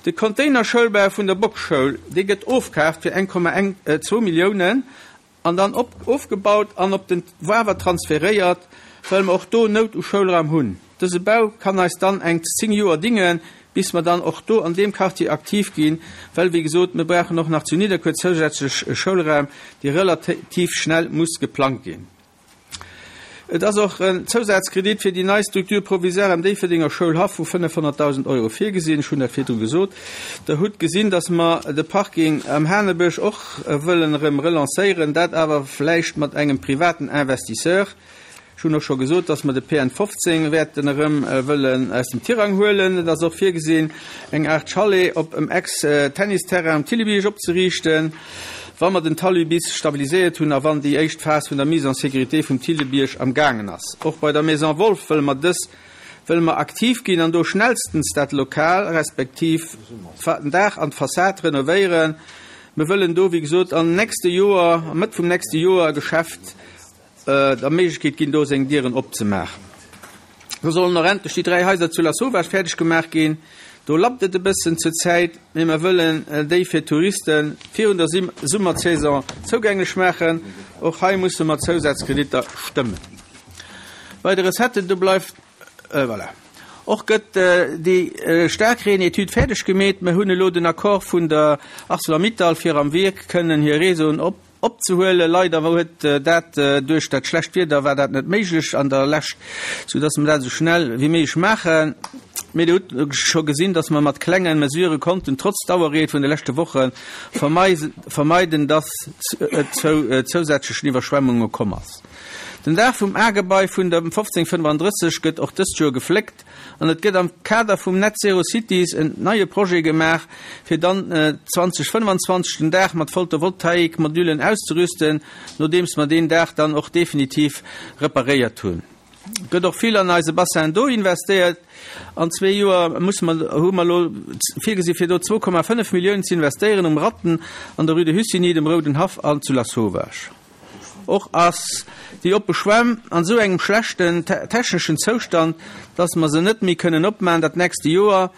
De Containerschoulbau vun der Bockschoul, dee gëtt ofkaaft fir 1,12 Milliounen An dann op ofgebaut an op den Wawer transferéiert, well mer och do Nout u Schoulraum hunn. Dëse Bau kann eis dann eng 10 Joer dingen, bis mer dann och do an deem Quartier aktiv ginn, well, wéi gesot, mir brauchen och nach zu Nidderkuer zousätzlech Schoulraum, dee relativ schnell muss geplangt ginn. Et ass och en Zousazkredit fir déi nei Structure provisoire am Déifferdenger Schoulhaff vu 500.000 Euro virgesinn. Ech hunn dat virdru gesot. Der hutt gesinn, dass mer de Parking am Hanebësch och wëllen erëm relancéieren, dat awer vläicht mat engem privaten Investisseur. Ech hunn och scho gesot, dass mer de PN 15 wäerten erëm wëllen aus dem Tirang huelen. Et ass och virgesinn, eng Aart Chalet op em Ex-Tennisterrain um Thillebierg opzeriichten. Wa mer den Talus bis stabiliséiert hunn a wann déi éischt Phas vun der Mise en sécurité vum Thillebierg am gaangen ass. Och bei der Maison Wolff wëlle mer dës wëlle mer aktiv ginn an do schnellstens dat Lokal respektiv den Daach an d'Fassad renovéieren. Mer wëllen do, wéi gesot, am nächste Joer, am Mëtt vum nächste Joer e Geschäft der Méiglechkeet ginn, do seng Dieren opzemaachen. Do sollen och endlech déi 3 Haiser zu Lasauvage fäerdeg gemaach ginn. Do lappt et e bëssen zur Zäit, mee mer wëllen déi fir d'Touriste virun der Summersaison zougänglech maachen. Och hei musse mer Zousazkreditter stëmmen. Bei de Recetten, do bleift, voilà. Och gëtt déi Staarkreen-Etüd fäerdeg gemeet. Mer hunn elo den Accord vun der Arcelor-Mittal, fir am Wierk kënnen hir Réseauen op. opzehuelen. Leider huet dat duerch dat schlecht Wieder war dat net méiglech an der Lescht, sou dass mer dat esou schnell wéi méiglech maachen. Mee Dir hutt scho gesinn, dass mer mat klenge Mesurë konnten trotz Dauerreen vun de leschte Woche vermeiden, dass et zou zousätzlechen Iwwerschwemmunge komm ass. Den Daach vum A-Gebai vun der 1535 gëtt och dëst Joer gefléckt an et gëtt am Kader vum Net Zero Cities en neie Projet gemaach, fir dann 2025 den Daach mat Photovoltaik-Modullen auszerüsten, nodeems mer deen Daach dann och definitiv reparéiert hunn. Et gëtt och vill an eise Bassin d'eau investéiert. An zwee Joer musse mer, hu mer elo virgesi fir do 2,5 Milliounen ze investéieren um Ratten, an der Rue de Hussigny, dem Rouden Haff an zu Lasauvage. Och ass déi oppe Schwämm an esou engem schlechten techneschen Zoustand, dass mer se net méi kënnen opmachen dat nächste Joer.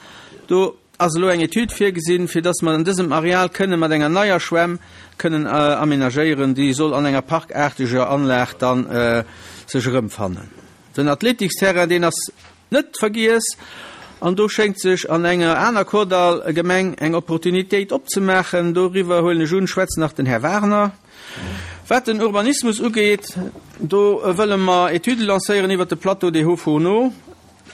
Do ass elo eng Etüd virgesinn, fir dass mer an dësem Areal kënne mat enger neier Schwämm kënnen aménagéieren. Déi soll an enger parkaarteger Anlag dann sech erëmfannen. Den Athletiksterrain, deen ass net vergiess, an do schéngt sech an enger aner Kordall-Gemeng eng Opportunitéit opzemaachen. Doriwwer, huelen ech un, schwätzt nach den Här Wagner. Wat den Urbanismus ugeet, do wëlle mer Etüde lancéieren iwwert de Plateau des Hauts-Fourneaux.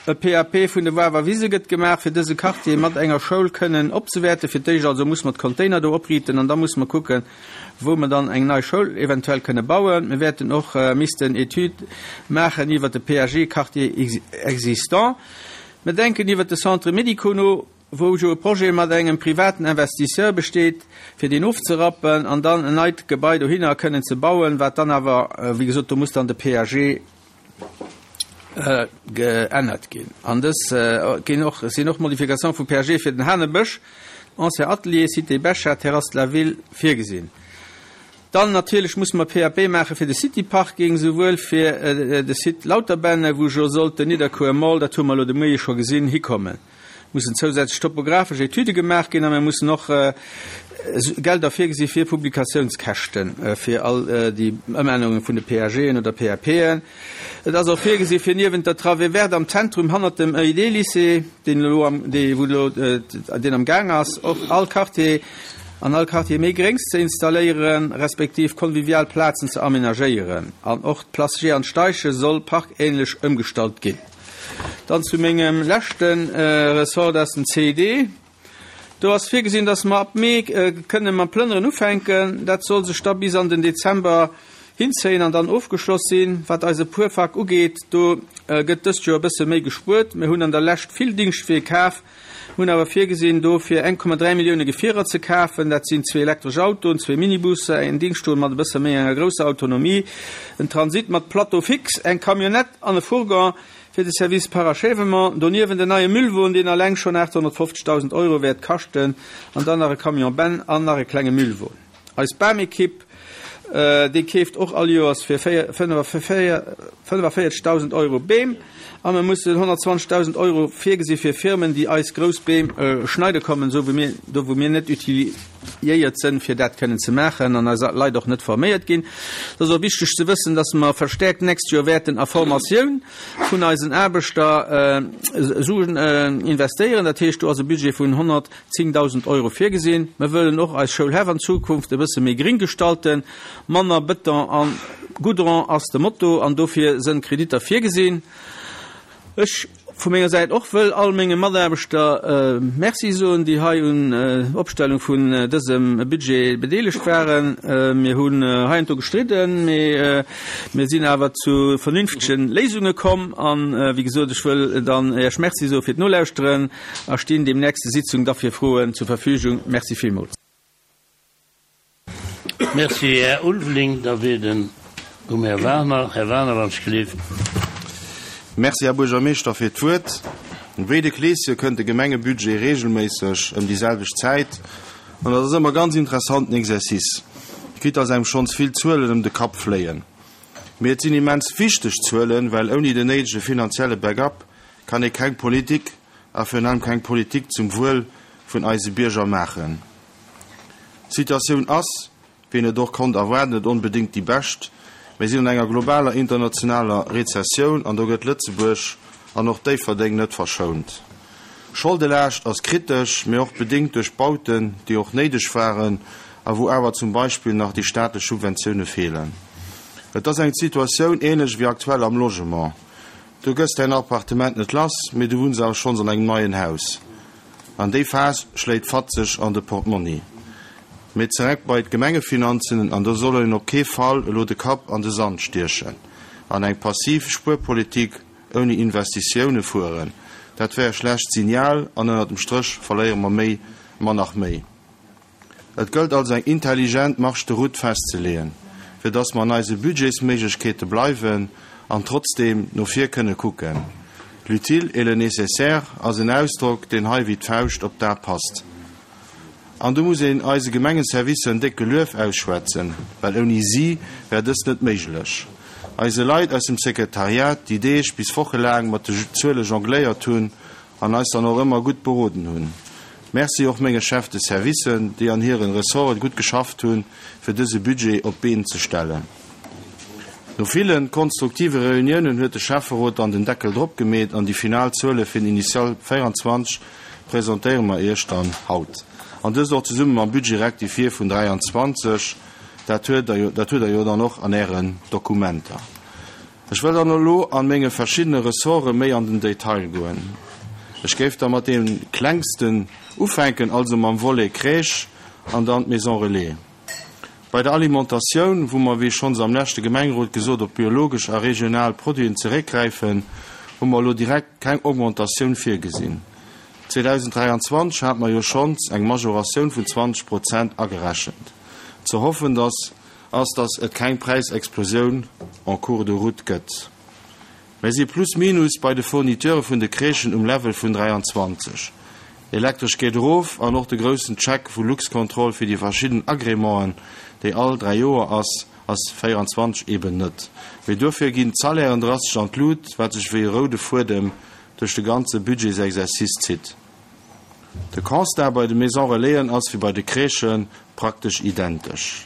E PAP vun de Wawer Wise gëtt gemaach, fir dëse Quartier mat enger Schoul kënnen opzewäerten. Fir d'éischt also muss mer d'Container do opriiten an da muss mer kucken, wou mer dann eng nei Schoul eventuell kënne bauen. Mir wäerten och missten Etüde maachen iwwert de PAG Quartier existant. Mir denken iwwert de Centre médico no, wou jo e Projet mat engem privaten Investisseur besteet, fir deen ofzerappen an dann en neit Gebai dohinner kënnen ze bauen, wat dann awer, wéi gesot, do muss dann de PAG geännert ginn. An dës ginn och, sinn och Modifications vum PAG fir den Hanebësch, ancien Atelier, Cité Bechard, Terrasse de la Ville virgesinn. Dann natierlech musse mer PAP maache fir de City Parking, souwuel fir de Site Lauterbänne, wou jo sollt den Nidderkuer Mall, dat hu mer elo de Moie scho gesinn, hikommen. Mussen zousätzlech topographesch Etüde gemaach ginn a mir mussen och Gelder virgesi fir Publikatiounskäschte fir all déi Ëmännerunge vun de PAGen oder PAPen. Et ass och virgesi fir niewent der Travée verte am Zentrum hannert dem EID-Lycée, deen elo am, dee wou elo, deen am Gaang ass, och all Quartier, an all Quartier méi Gréngs ze installéieren, respektiv convivial Plazen ze amenagéieren. An och d'Place Jehan Steichen soll parkähnlech ëmgestallt ginn. Dann zu mengem leschte Ressort, dat ass den CID. Do ass virgesinn, dass mer ab Mee kënne mam Plënneren ufänken. Dat soll sech da bis an den Dezember hinzéien an dann ofgeschloss sinn. Wat eise Puerpark ugeet, do gëtt dëst Joer e bësse méi gespuert. Mir hunn an der Lescht vill Dingschtwee kaf, hunn awer virgesinn, do fir 1,3 Millioune Gefierer ze kafen. Dat sinn zwee elektresch Autoen, zwee Minibusser, en Dingschtwon mat e bësse méi enger grousser Autonomie, en Transit mat Plateau fixe, eng Camionnette an e Fourgon fir de Service Parachèvement. Doniewent en neie Müllwon, deen alleng schonn 850.000 Euro wäert kaschten, an dann nach e Camion Benn an nach e klenge Müllwon. Eis Bamekipp, déi keeft och all Joers fir 45.000 Euro Beem a mir mussen 120.000 Euro virgesi fir Firmen, déi eis grouss Beem schneide kommen, esou wéi mir, do wou mir net utiliéiert sënn, fir dat kënnen ze maachen an eis Leit och net forméiert ginn. Et ass och wichteg ze wëssen, dass mer verstäerkt d'nächst Joer wäerten a Formatioun vun eisen Aarbechter Suen investéieren. Dat heescht, do ass e Budget vun 110.000 Euro virgesinn. Mir wëllen och eis Schoulhäff an Zukunft e bësse méi gring gestalten. Manner Bëton a Goudron ass de Motto an dofir sënn Kreditter virgesinn. Ech vu menger Säit och wëll all menge Mataarbechter Merci soen, déi hei un Opstellung vun dësem Budget bedeelegt waren. Mir hunn heiansdo gestridden, mee mir sinn awer zu vernünftege Léisunge komm. An, wéi gesot, ech wëll dann Iech Merci soe fir d'Nolauschteren a stinn deem nächste Sitzung da fir Froen zur Verfügung. Merci villmools. Merci, Här Ulveling. Da wier den um Här Wagner. Här Wagner, wann ech gelift. Merci, Här Buergermeeschter, fir d'Wuert. Wéi de Kleeschen kënnt de Gemengebudget regelméisseg ëm déi selwecht Zäit an dat ass ëmmer ganz interessanten Exercice, quitte dass engem schonns vill Zuelen ëm de Kapp fléien. Mee et sinn immens wichteg Zuelen, well ouni den néidege finanzielle Backup kann ee keng Politik a virun allem keng Politik zum Wuel vun eise Bierger maachen. D'Situatioun ass, wéi een et och konnt erwaarden, net onbedéngt déi bescht. Mir sinn an enger globaler internationaler Rezessioun an do gëtt Lëtzebuerg an och Déifferdeng net verschount. Scholdelaascht ass kritesch, mee och bedéngt duerch Bauten, déi och néideg waren. a wou awer zum Beispill nach déi staatlech Subventioune feelen. Et ass eng Situatioun ähnlech wéi aktuell am Logement. Du gëss däin Appartement net lass, mee du wunns awer schonns an engem neien Haus. An déi Phas schléit fatzeg an de Portmonni. Mee zereck bei d'Gemengefinanzen, an do soll een op kee Fall elo de Kapp an de Sand stiechen an eng passiv Spuerpolitik ouni Investitioune fueren. Dat wär e schlecht Signal an ënnert dem Stréch verléiere mer méi, mer nach méi. Et gëllt also eng intelligent Marge de route festzeleeën, fir dass mer an eise Budgetsméiglechkeete bleiwen an trotzdeem no vir kënne kucken. L'utile et le nécessaire ass en Ausdrock, deen hei wéi d'Fauscht op d'A passt. An do muss een eise Gemengeservicer en décke Luef ausschwätzen, well ouni si wär dëst net méiglech. Eise Leit aus dem Sekretariat, déi Deeg bis wochelaang mat de Zuele jongléiert hunn an eis dann och ëmmer gutt beroden hunn. Merci och menge Chefs de servicen, déi an hiren Ressorten gutt geschafft hunn, fir dëse Budget op d'Been ze stellen. No villen konstruktive Reuniounen huet de Schäfferot dann den Deckel drop gemeet an déi final Zuele fir den Initial 24 presentéiere mer Iech dann haut. An dëst och zesumme mam Budget rectifié vun 23. Dat huet der jo dann och an Ären Dokumenter. Ech wëll dann elo an menge verschiddene Ressorte méi an den Detail goen. Ech géif da mat deem klengsten ufänken, also mam Volet Crèche an dann d'Maison Relais. Bei der Alimentatioun, wou mer, wéi schonns am leschte Gemengerot gesot, op biologesch a regional Produiten zeréckgräifen, hu mer elo direkt keng Augmentatioun virgesinn. 2023 hate mer jo schonns eng Majoratioun vun 20 Prozent agerechent. Ze hoffen, dass ass, dass et keng Präisexplosioun en cours de route gëtt. Mir si plus minus bei de Fourniteure vun de Crèchen um Level vun 23. Elektresch geet erof an och de groussen Check vu Luxcontrol fir déi verschidden Agrémenten, déi all 3 Joer ass, ass 24 eben net. Mee dofir ginn d'Salairen drastesch an d'Lut, wat sech wéi e roude Fuedem duerch de ganze Budgetsexercice zitt. De Constat bei de Maisons Relaisen ass wéi bei de Crèchen praktesch identesch.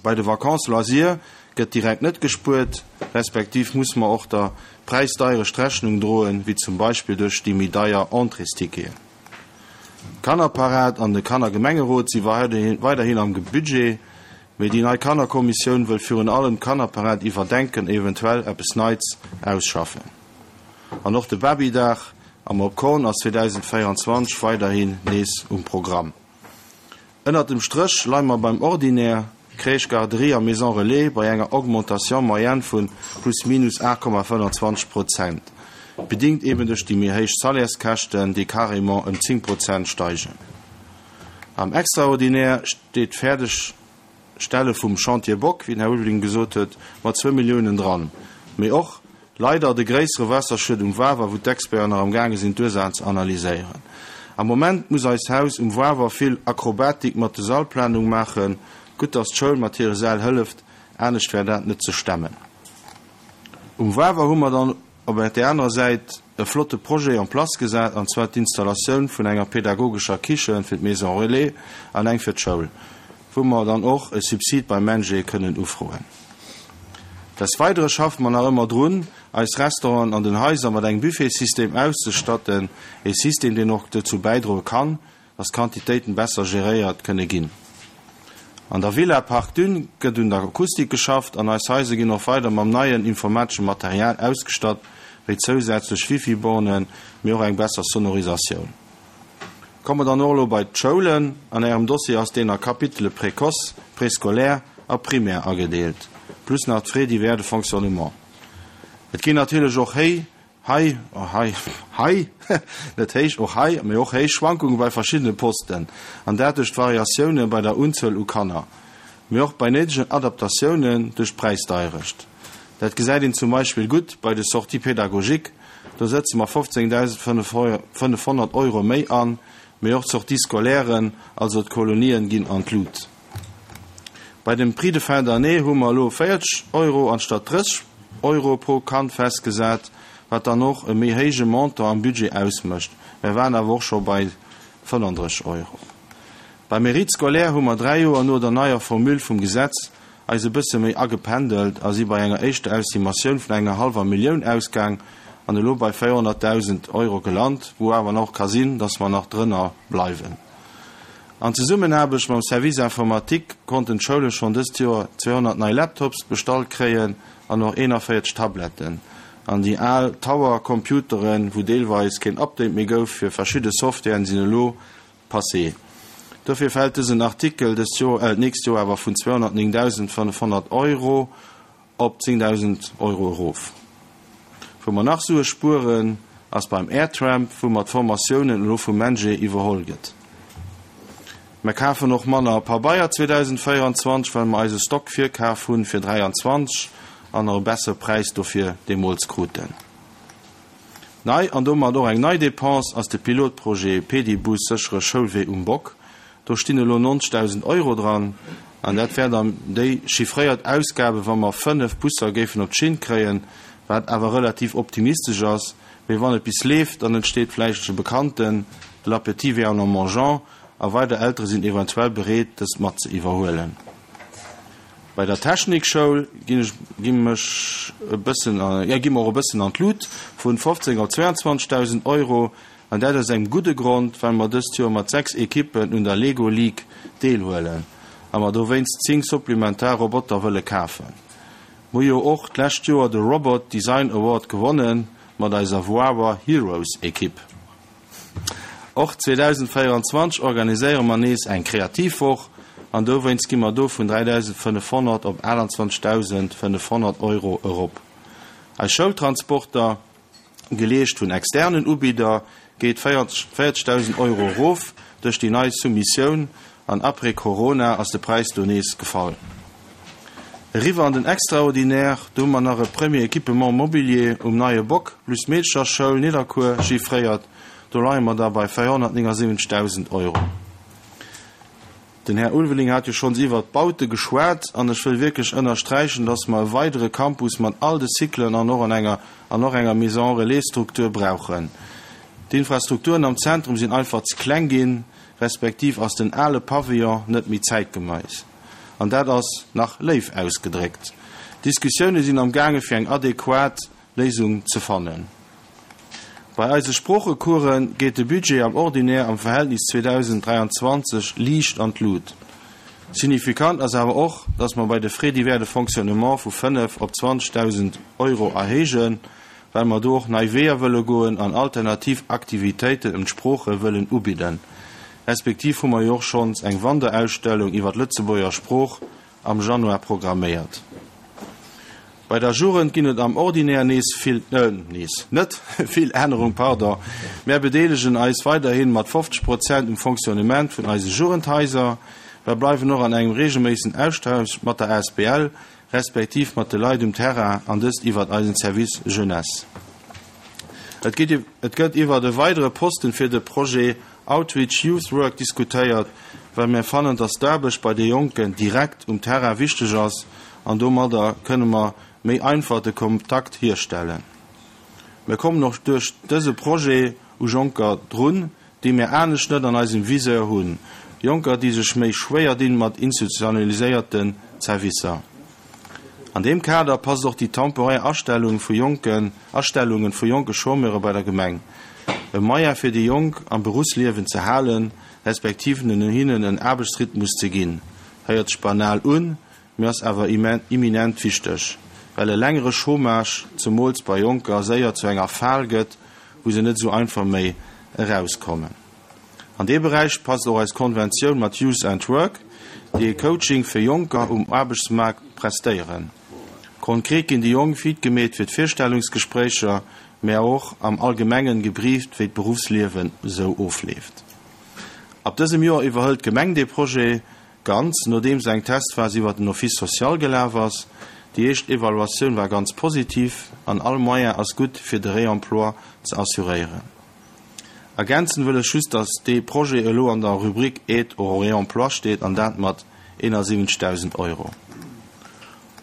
Bei de Vacances loisirs gëtt direkt net gespuert, respektiv muss mer och der Präisdeierecht Rechnung droen, wéi zum Beispill duerch déi méi deier Entréesticketen. D'Kannerparad an de Kannergemengerot si weiderhin am Budget, mee déi nei Kannerkommissioun wëll virun allem d'Kannerparad iwwerdenken, eventuell eppes Neits ausschaffen. An och de Babydag am Op Korn ass 2024 weiderhin nees um Programm. Ënnert dem Stréch leie mer beim Ordinaire, Crèche, Garderie a Maison Relais, bei enger Augmentation moyenne vu plus minus 8,25 Prozent, bedingt eben duerch déi méi héich Salaires-Käschten, déi carrément ëm 10 Prozent steigen. Am Extraordinaire steet d'Fäerdegstelle vum Chantier Bock, wéi den Här Ulveling gesot huet, mat zwou Milliounen dran, mee och Leider de gréissere Waasserschued um Wawer, wou d'Experten nach am gaange sinn d'Ursaachen ze analyséieren. Am Moment muss eist Haus um Wawer vill Akrobatik mat de Sallplanung maachen. Gutt dass d'Schoul mat hire Säll hëlleft, anescht wär dat net ze stemmen. Um Wawer hu mer dann op der anerer Säit e flotte Projet en place gesat, an zwar d'Installatioun vun enger pedagogescher Kiche fir d'Maison Relais an eng fir d'Schoul, wou mer dann och e Subsid beim MENJE kënnen ufroen. Des Weidere schaffe mer nach ëmmer drun, eis Restauranten an den Haiser mat engem Buffetsystem auszestatten, e System, deen och dozou bäidroe kann, dass d'Quantitéiten besser geréiert kënne ginn. An der Villa Parc Dune gëtt un der Akustik geschafft an eis Haiser ginn och weider mam neien informatesche Material ausgestatt, wéi zousätzlech Wifi-Bornen, mee och eng besser Sonorisatioun. Komme dann och elo bei d'Schoulen. An Ärem Dossier ass deen a Kapitele Précoce, Préscolaire a Primaire agedeelt, plus nach d'Frais divers de fonctionnement. Et ginn natierlech och héi, hei, hei, hei, net héich, och hei, mee och héich Schwankunge bei verschiddene Posten, an dat duerch d'Variatioune bei der Unzuel u Kanner, mee och bei néidegen Adaptatiounen duerch d'Präisdeierecht. Dat gesäit een zum Beispill gutt bei de Sorties pédagogiques, do sëtze mer 15.500 Euro méi an, mee och d'Sorties scolairen, also d'Kolonien, ginn an d'Lut. Bei dem Prix de fin d'année hu mer elo 40 Euro anstatt 30 Euro pro Kand festgesat, wat dann och e méi héije Montant am Budget ausmécht. Mer waren awer och scho bei 35 Euro. Beim Mérite scolaire hu mer dräi Joer no der neier Formule vum Gesetz eis e bësse méi agependelt a si bei enger éischter Estimatioun vun enger hallwer Millioun ausgaang an elo bei 400.000 Euro gelant, wou awer nach ka sinn, dass mer nach drënner bleiwen. An Zesummenaarbecht mam Service Informatique konnten d'Schoule schonn dëst Joer 200 nei Laptops bestallt kréien an och 41 Tabletten. An déi al Tower Computeren, wou deelweis keen Update méi gouf fir verschidde Softwaren, sinn elo passé. Dofir fält dësen Artikel dëst Joer, d'nächst Joer awer vun 209.500 Euro op 10.000 Euro erof. Wou mer nach Sue spueren, ass beim Airtramp, wou mer d'Formatiounen elo vum MENJE iwwerholl gëtt. Mer kafen och manner Pabeier 2024, well mer eise Stock virkaf hunn fir 23 an och e bessere Präis dofir deemools kruten. Nei, an domat och eng nei Dépense, ass de Pilotprojet Pedibus séchere Schoulwee um Bock. Do stinn elo 90.000 Euro dran, an dat wär dann déi chiffréiert Ausgabe wa mer 5 Busser géifen op d'Schinn kréien, wat awer relativ optimistesch ass. Mee wann et bis leeft, dann entsteet vläicht e bekannten l'appétit vient en mangeant a weider Eltere sinn eventuell bereet, dëst mat ze iwwerhuelen. Bei der Technikschoul ginn ech, gi mech e bëssen, jo, gi mer och e bëssen an d'Lut, vun 15 op 22.000 Euro. An dat aus engem gudde Grond, well mer dëst Joer mat 6 Ekippen un der Lego League deelhuelen a mer dowéinst 10 supplementar Roboter wëlle kafen. Mer hu jo och d'lescht Joer de Robot Design Award gewonnen mat eiser Wawa Heroes Ekipp. Och 2024 organiséiere mer nees eng Kreativwoch an dowéinst gi mer do vun 3.500 op 28.500 Euro erop. Eis Schoultransporter, geleescht vun externen Ubidder, geet 40.000 Euro erof duerch déi nei Soumissioun an après Corona ass de Präis do nees gefall. Eriwwer an den Extraordinaire, do hu mer nach e Premier Équipement mobilier um Neie Bock plus Meedecherschoul Nidderkuer chiffréiert, do leie mer da bei 479.000 Euro. Den Här Ulveling hat jo schonns iwwert d'Baute geschwat an ech wëll wierklech ënnersträichen, dass mer e weidere Campus mat all de Cyclen an och an enger an och enger Maison relais-Struktur brauchen. D'Infrastrukturen am Zentrum sinn einfach ze kleng ginn, respektiv ass den ale Pavillon net méi zäitgemeis. An dat ass nach léif ausgedréckt. Diskussioune sinn am gaange fir eng adequat Léisung ze fannen. Bei eise Sproochecourse geet de Budget am Ordinaire am Verhältnis 2023 liicht an d'Lut. Signifikant ass awer och, dass mer bei de Frais divers de fonctionnement vu 5 op 20.000 Euro erhéijen, well mer do och nei Weeër wëlle goen an alternativ Aktivitéiten ëm d'Sprooche wëllen ubidden. Respektiv hu mer jo och schonns eng Wanderausstellung iwwer d'Lëtzebuerger Sprooch am Januar programméiert. Bei der Jugend ginn et am Ordinaire nees vill, nees net vill Ännerung, pardon. Mär bedeelegen eis weiderhin mat 50 Prozent um Fonctionnement vun eise Jugendhaiser. Mär bleiwen och an engem regelméissen Austausch mat der asbl, respektiv mat de Leit um Terrain an dëst iwwert eisen Service Jeunesse. Et gëtt iwwert e weidere Posten fir de Projet Outreach Youth Work diskutéiert, well mir fannen, dass d'Aarbecht bei de Jonken direkt um Terrain wichteg ass an domadder kënne mer méi einfach de Kontakt hierstellen. Mir kommen och duerch dëse Projet u Jonker drun, déi mir anescht net an eisem Viseur hunn, Jonker, déi sech méi schwéier dinn mat institutionaliséierten Zerwisser. An deem Kader passt och déi temporär Astellung vu jonken Astellungen vu jonke Chômeure bei der Gemeng. E Moyen fir déi Jonk am Beruffsliewen ze halen, respektiv hinnen en Aarbechtsrhythmus ze ginn. Héiert sech banal un, mee ass awer imminent wichteg, well e längere Chômage, zemools bei Jonker, séier zu enger Fal gëtt, wou se net esou einfach méi erauskommen. An dee Beräich passt och eis Konventioun mat Youth and Work, déi e Coaching fir Jonker um Aarbechtsmaart prestéieren. Konkret ginn déi Jonk fit gemeet fir d'Virstellungsgespréicher, mä och am Allgemengen gebrieft, wéi d'Beruffsliewen esou ofleeft. Ab dësem Joer iwwerhëlt d'Gemeng dee Projet ganz, nodeems eng Testphas iwwer den Office social gelaf ass. Déi éischt Evaluatioun war ganz positiv an all Moyen ass gutt, fir de Réemploi ze assuréieren. Ergänzen wëll ech just, dass dee Projet elo an der Rubrik Aide au réemploi steet, an dat mat 71.000 Euro.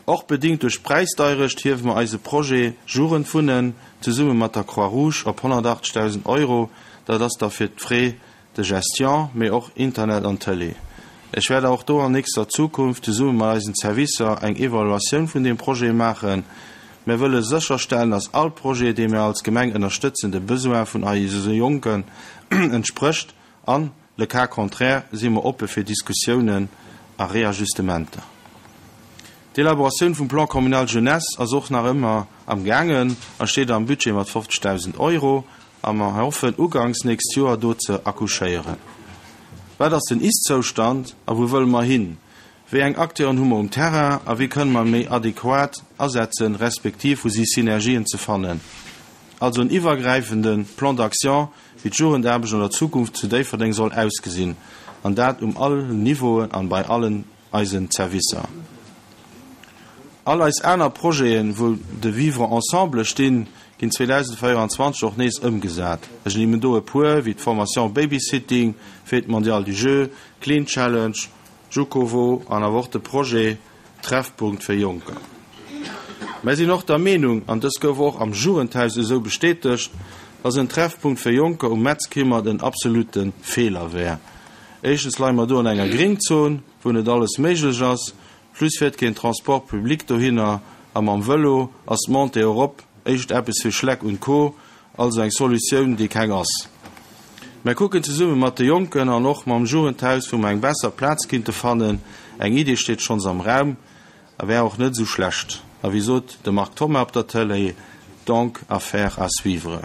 Och bedingt duerch d'Präisdeirecht hiewe mer eise Projet Jugendwunnen zesumme mat der Croix-Rouge op 180.000 Euro. Dat ass da fir d'Frais de gestion, mee och Internet an Tëlee. Ech wäert och do an nächster Zukunft zesumme mat eisen Servicer eng Evaluatioun vun deem Projet maachen. Mir wëlle sécherstellen, dass all Projet, dee mir als Gemeng ënnerstëtzen, de Besoin vun eise Jonken entsprécht a. Le cas contraire si mer oppe fir Diskussiounen a Reajustementer. D'Elaboratioun vum Plan communal jeunesse ass och nach ëmmer am gaangen a steet am Budget mat 50.000 Euro a mer hoffen uganks nächst Joer do ze accouchéieren. Wat ass den Ist-Zoustand a wou wëlle mer hin? Wéi eng Acteuren hu mer um Terrain a wéi kënne mer méi adequat asetzen, respektiv wou si Synergien ze fannen? Also en iwwergräifende Plan d'action, wéi d'Jugendaarbecht an der Zukunft zu Déifferdeng soll ausgesinn, an dat um allen Niveauen an bei allen eisen Zerwisser. All eis aner Projeten, wou de Vivre ensemble stinn, ginn 2024 och nees ëmgesat. Ech ernimmen do e puer, wéi d'Formation Babysitting, Fête mondiale du jeu, Clean Challenge, Jukovo an awer och de Projet Treffpunkt fir Jonker. Mär sinn och der Meenung, an dës gouf och am Jugendhaus esou bestätegt, dass en Treffpunkt fir Jonker um Metzkimmert en absolute Feeler wär. Éischtens leie mer do an enger Gringzon, wou net alles méiglech ass, plus fiert keen Transport public dohinner a mam Vëlo ass d'Montée erop éischt eppes fir Schleck und Co. Also eng Solutioun, déi keng ass. Mär kucken zesumme mat de Jonken an och mam Jugendhaus, wou mer eng besser Plaz kinnte fannen. Eng Idee steet schonns am Raum a wär och net esou schlecht. A wéi sot de Marc Thoma op der Tëlee, donc affaire à suivre.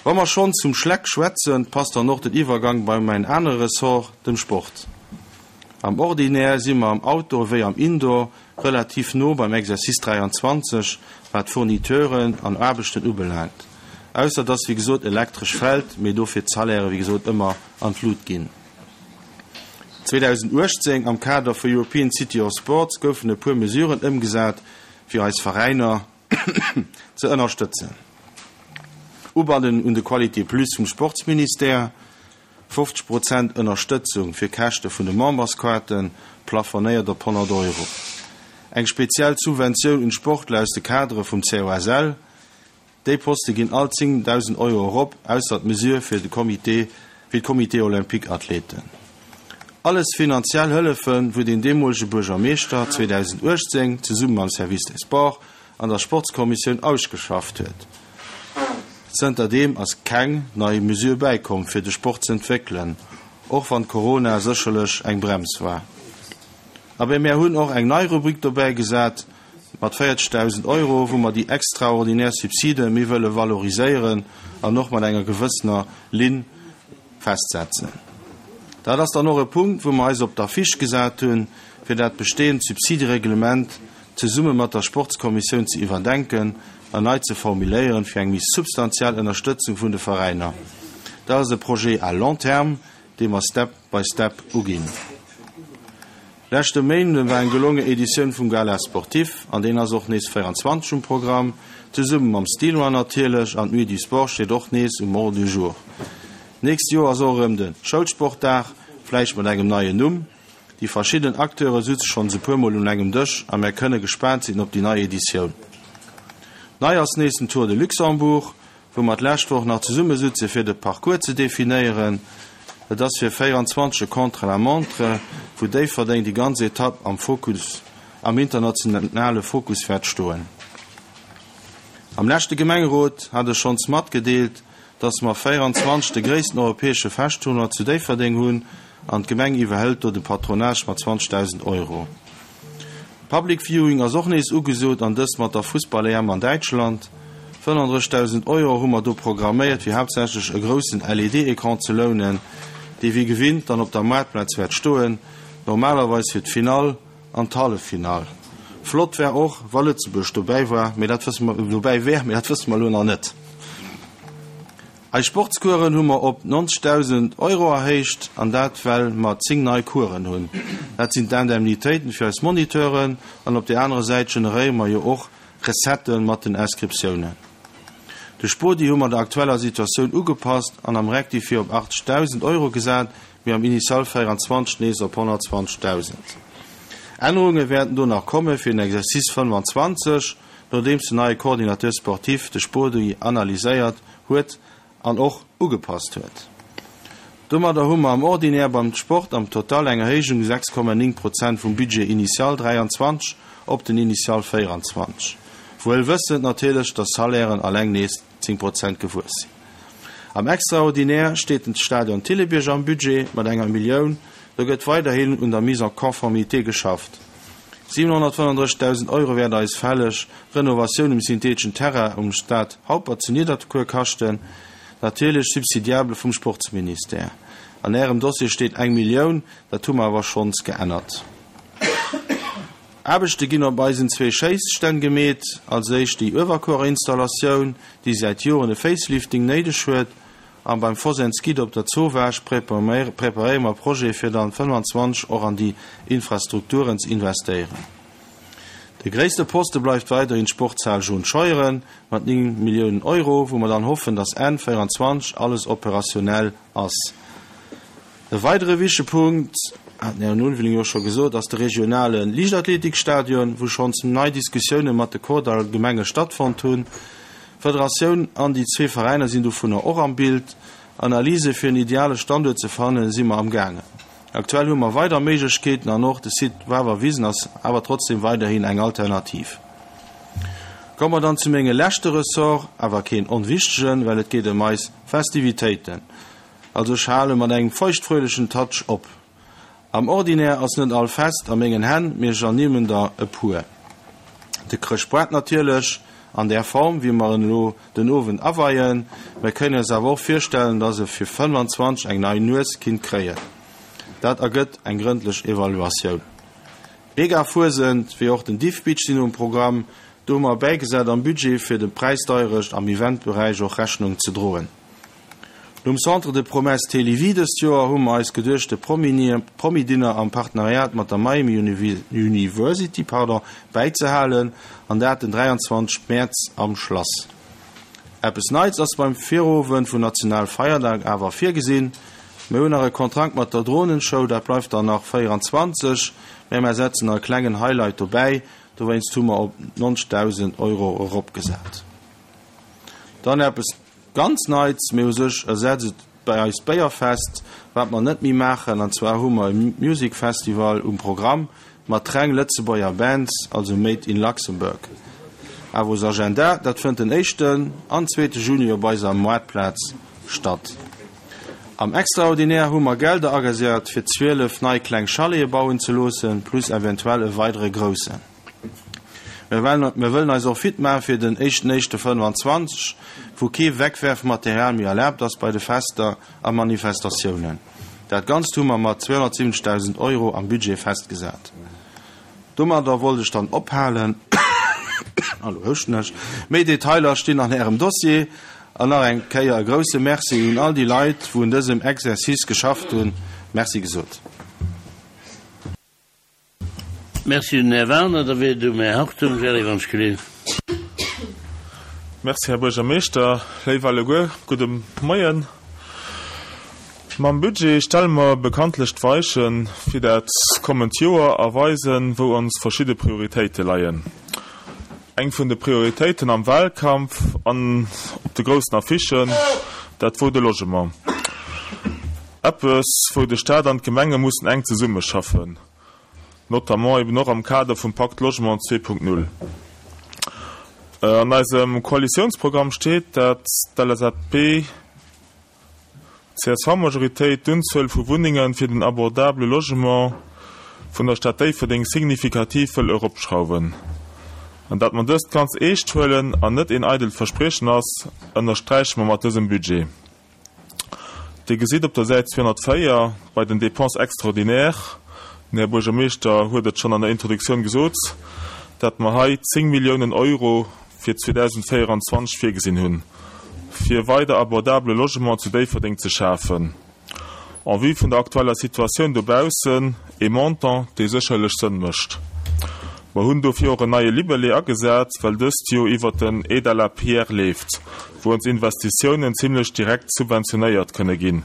Wa mer schonns vum Schleck schwätzen, passt dann och den Iwwergang bei mäin anere Ressort, dem Sport. Am Ordinaire si mer am Outdoor wéi am Indoor relativ no beim Exercice 23, wat Fourniteuren an Aarbechten ubelaangt, ausser dass wéi gesot Elektresch fällt, mee dofir d'Salaire wéi gesot ëmmer an d'Lut ginn. 2018 am Kader vu European City of Sports goufen e puer Mesuren ëmgesat fir eis Veräiner ze ënnerstëtzen. Ubannen un de Qualité Plus vum Sportsministère, 50 Prozent Ënnerstëtzung fir Käschte vun de Memberskaarten, plafonéiert op 100 Euro. Eng speziell Subventioun un d'Sportler aus de Kadere vum COSL. Déi Poste ginn all 10.000 Euro erop, ausser d'Mesure fir de Comité, fir d'Comité Olympique Athleten. Alles finanziell Hëllefen, wou den deemolege Buergermeeschter 2018 zesumme mam Service des Sports an der Sportskommissioun ausgeschafft huet. Zënter deem ass keng nei Mesure bäikomm fir de Sport z'entwéckelen, och wann Corona sécherlech eng Brems war. Abee mär hunn och eng nei Rubrik dobäi gesat mat 40.000 Euro, wou mer déi extraordinär Subside méi wëlle valoriséieren an och mat enger gewëssener Linn festsetzen. Dat ass dann och e Punkt, wou mer eis op d'Affiche gesat hunn, fir dat bestehend Subsidereglement zesumme mat der Sportskommissioun ze iwwerdenken an nei ze formuléieren, fir eng méi substantiell Ënnerstëtzung vun de Veräiner. Dat ass e Projet à long terme, dee mer step by step uginn. Leschte Méinden war eng gelonge Editioun vum Gala Sportif an deen ass och nees 24 um Programm, zesumme mam Stinois natierlech an d'Nuit du Sport steet och nees um Ordre du jour. Nächst Joer ass och erëm de Schoulsportdag, vläicht mat engem neien Numm. Déi verschidden Acteure sutze schonns e puer Mol un engem Dësch a mär kënne gespaant sinn op déi nei Editioun. Nei ass nees den Tour de Luxembourg, wou mer d'lescht Woch nach zesumme sutze fir de Parcours ze definéieren. Et ass fir 24 e Contre-la-montre, wou Déifferdeng déi ganz Etapp am Fokus, am internationale Fokus wäert stoen. Am leschte Gemengerot hat ech schonns matgedeelt, dass mer 24 de gréissten europäesche Feschtournoi zu Déifferdeng hunn an d'Gemeng iwwerhëlt do de Patronage mat 20.000 Euro. Public Viewing ass och nees ugesot an dëst mat der Fussball-EM an Däitschland. 35.000 Euro hu mer do programméiert fir haaptsächlech e groussen LED-Ecran ze lounen, dee wéi gewinnt dann op der Maartplaz wäert stoen, normalerweis fir d'Finall an d'Halleffinall. Flott wär och wa Lëtzebuerg dobäi war, mee dat wësse mer dobäi wär, mee dat wësse mer elo nach net. Eis Sportscoursen hu mer op 90.000 Euro erhéicht, an dat well mer 10 nei Coursen hunn. Dat sinn d'Indemnitéiten fir eis Moniteuren an op där anerer Säit generéiere mer jo och Recettë mat den Inscriptiounen. De Spodi hu mer der aktueller Situatioun ugepasst an am Rectifié op 80.000 Euro gesat, mee am Initial 24 nees op 120.000. Ännerunge wäerten do nach komme fir den Exercice 25. nodeems den neie Coordinateur sportif de Spodi analyséiert huet an och ugepasst huet. Domadder hu mer am Ordinaire beim Sport am Total eng Erhéijung 6,9 Prozent vum Budget initial 23 op den Initial 24, wuel wëssend natierlech, dass Salairen alleng nees 10 Prozent gewuess sinn. Am Extraordinaire steet den Stadion Thillebierg am Budget mat enger Millioun. Do gëtt weiderhin un der Mise en conformité geschafft. 735.000 Euro wäert eis fälleg Renovatioun um syntheteschen Terrain um Stade Haupert zu Nidderkuer kaschten, natierlech subsidiable vum Sportsministère. An Ärem Dossier steet eng Millioun, dat hu mer awer schonns geännert. Aarbechte ginn op eisen zwee Schéisstänn gemeet, als éischt déi Uewerkuerinstallatioun, déi säit Joren e Facelifting néideg huet, an beim Fosen's Guide op der Zowaasch preparéiere mer Projete fir dann 25 och an déi Infrastrukturen ze investéieren. De gréisste Poste bleift weiderhin d'Sportshal John Scheuren mat 9 Milliounen Euro, wou mer dann hoffen, dass Enn 24 alles operationell ass. E weidere wichtege Punkt, hat den Här Ulveling jo scho gesot, ass de regionale Liichtathletikstadion, wou schonns nei Diskussioune mat de Kordall-Gemenge stattfonnt hunn. D'Federatioun an déi zwee Veräiner sinn dovunner och am Bild. Analyse fir en ideale Standuert ze fannen, si mer am gaangen. Aktuell hu mer weider Méiglechkeeten an och de Site Wawerwisen ass awer trotzdem weiderhin eng Alternativ. Komme mer dann zu menge leschte Ressort, awer keen onwichtegen, well et geet ëm eis Festivitéiten. Also ech hale mat engem feuchtfröhlechen Touch op. Am Ordinaire ass net all Fest a mengen Hänn, mee ech ernimmen der e puer. De Chrëschtboart natierlech, an där Form wéi mer en elo den Owend aweien. Mer kënnen eis awer och virstellen, dass e fir 25 eng nei Nues kinnt kréien. Dat ergëtt eng grëndlech Evaluatioun. D'Mega-Fuesent wéi och den Diffbeach sinn um Programm. Do hu mer bäigesat am Budget fir de Präisdeierecht am Eventberäich och Rechnung ze droen. Nom Centre de Promesses Télévie dëst Joer hu mer eis geduecht de Promi-Dinner am Partenariat mat der Miami University bäizehalen an dat den 23 Mäerz am Schlass. Eppes Neits ass beim Virowend vun Nationalfeierdag awer virgesinn. Mir hunn nach e Kontrakt mat der Dronenshow, dat bleift dann nach 24, mä mer setzen nach e klengen Highlight dobäi, dowéinst hu mer op 90.000 Euro eropgesat. Dann eppes Ganz Neits, mee u sech ersetzt et bei eis d'Béierfest, wat mer net méi maachen. An zwar hu mer e Music Festival um Programm mat reng Lëtzebuerger Bands, also Made in Luxembourg. Avos Agenda, dat fënnt den éischten an zweete Juni op eiser Moartplaz statt. Am Extraordinaire hu mer Gelder agesat fir 12 nei kleng Chalete bauen ze loossen, plus eventuell e weidere groussen. Mir wëllen eis och fit maache fir den éischten éischte 25, wou kee Wegwerfmaterial méi erlaabt ass bei de Fester a Manifestatiounen. Dat Ganzt hu mer mat 270.000 Euro am Budget festgesat. Domadder wollt ech dann ophalen. A lo houschten ech. Méi Detailer stinn an Ärem Dossier. An nach eng Kéier e grouse Merci un all déi Leit, wou un dësem Exercice geschafft hunn. Merci gesot. Merci un den Här Werner. Da wier et um Här Hartung. Gerry wann ech geleeën. Merci, Här Buergermeeschter. Léif alleguer, gudde Moien. Mam Budget stelle mer bekanntlech d'Weiche fir dat kommend Joer a weisen, wou ons verschidde Prioritéite leien. Eng vun de Prioritéiten am Wahlkampf an op de groussen Affichen, dat wor de Logement. Eppes, wou de Staat an d'Gemenge mussen enk zesummeschaffen, notamment eben och am Kader vum Pacte Logement 2.0. An eisem Koalitiounsprogramm steet, dat d'LSAP-CSV-Majoritéit d'Unzuel vu Wunnenge fir den abordable Logement vun der Stad Déifferdeng signifikativ wëll eropschrauwen. An dat mer dëst ganz eescht huelen an net een eidelt Verspriechen ass, ënnersträiche mer mat dësem Budget. Dir gesitt op der Säit 204 bei den Dépenses extraordinaires, den Här Buergermeeschter huet et schonn an der Introduktioun gesot, dat mer hei 10 Milliounen Euro fir 2024 virgesinn hunn, fir weider abordabele Logement zu Déifferdeng ze schafen. En vue vun der aktueller Situatioun dobaussen ee Montant, dee sécherlech Sënn mécht. Mer hunn dofir och en neie Libellé agesat, well dëst jo iwwert den Aide à la pierre leeft, wou ons Investitiounen zimlech direkt subventionéiert kënne ginn,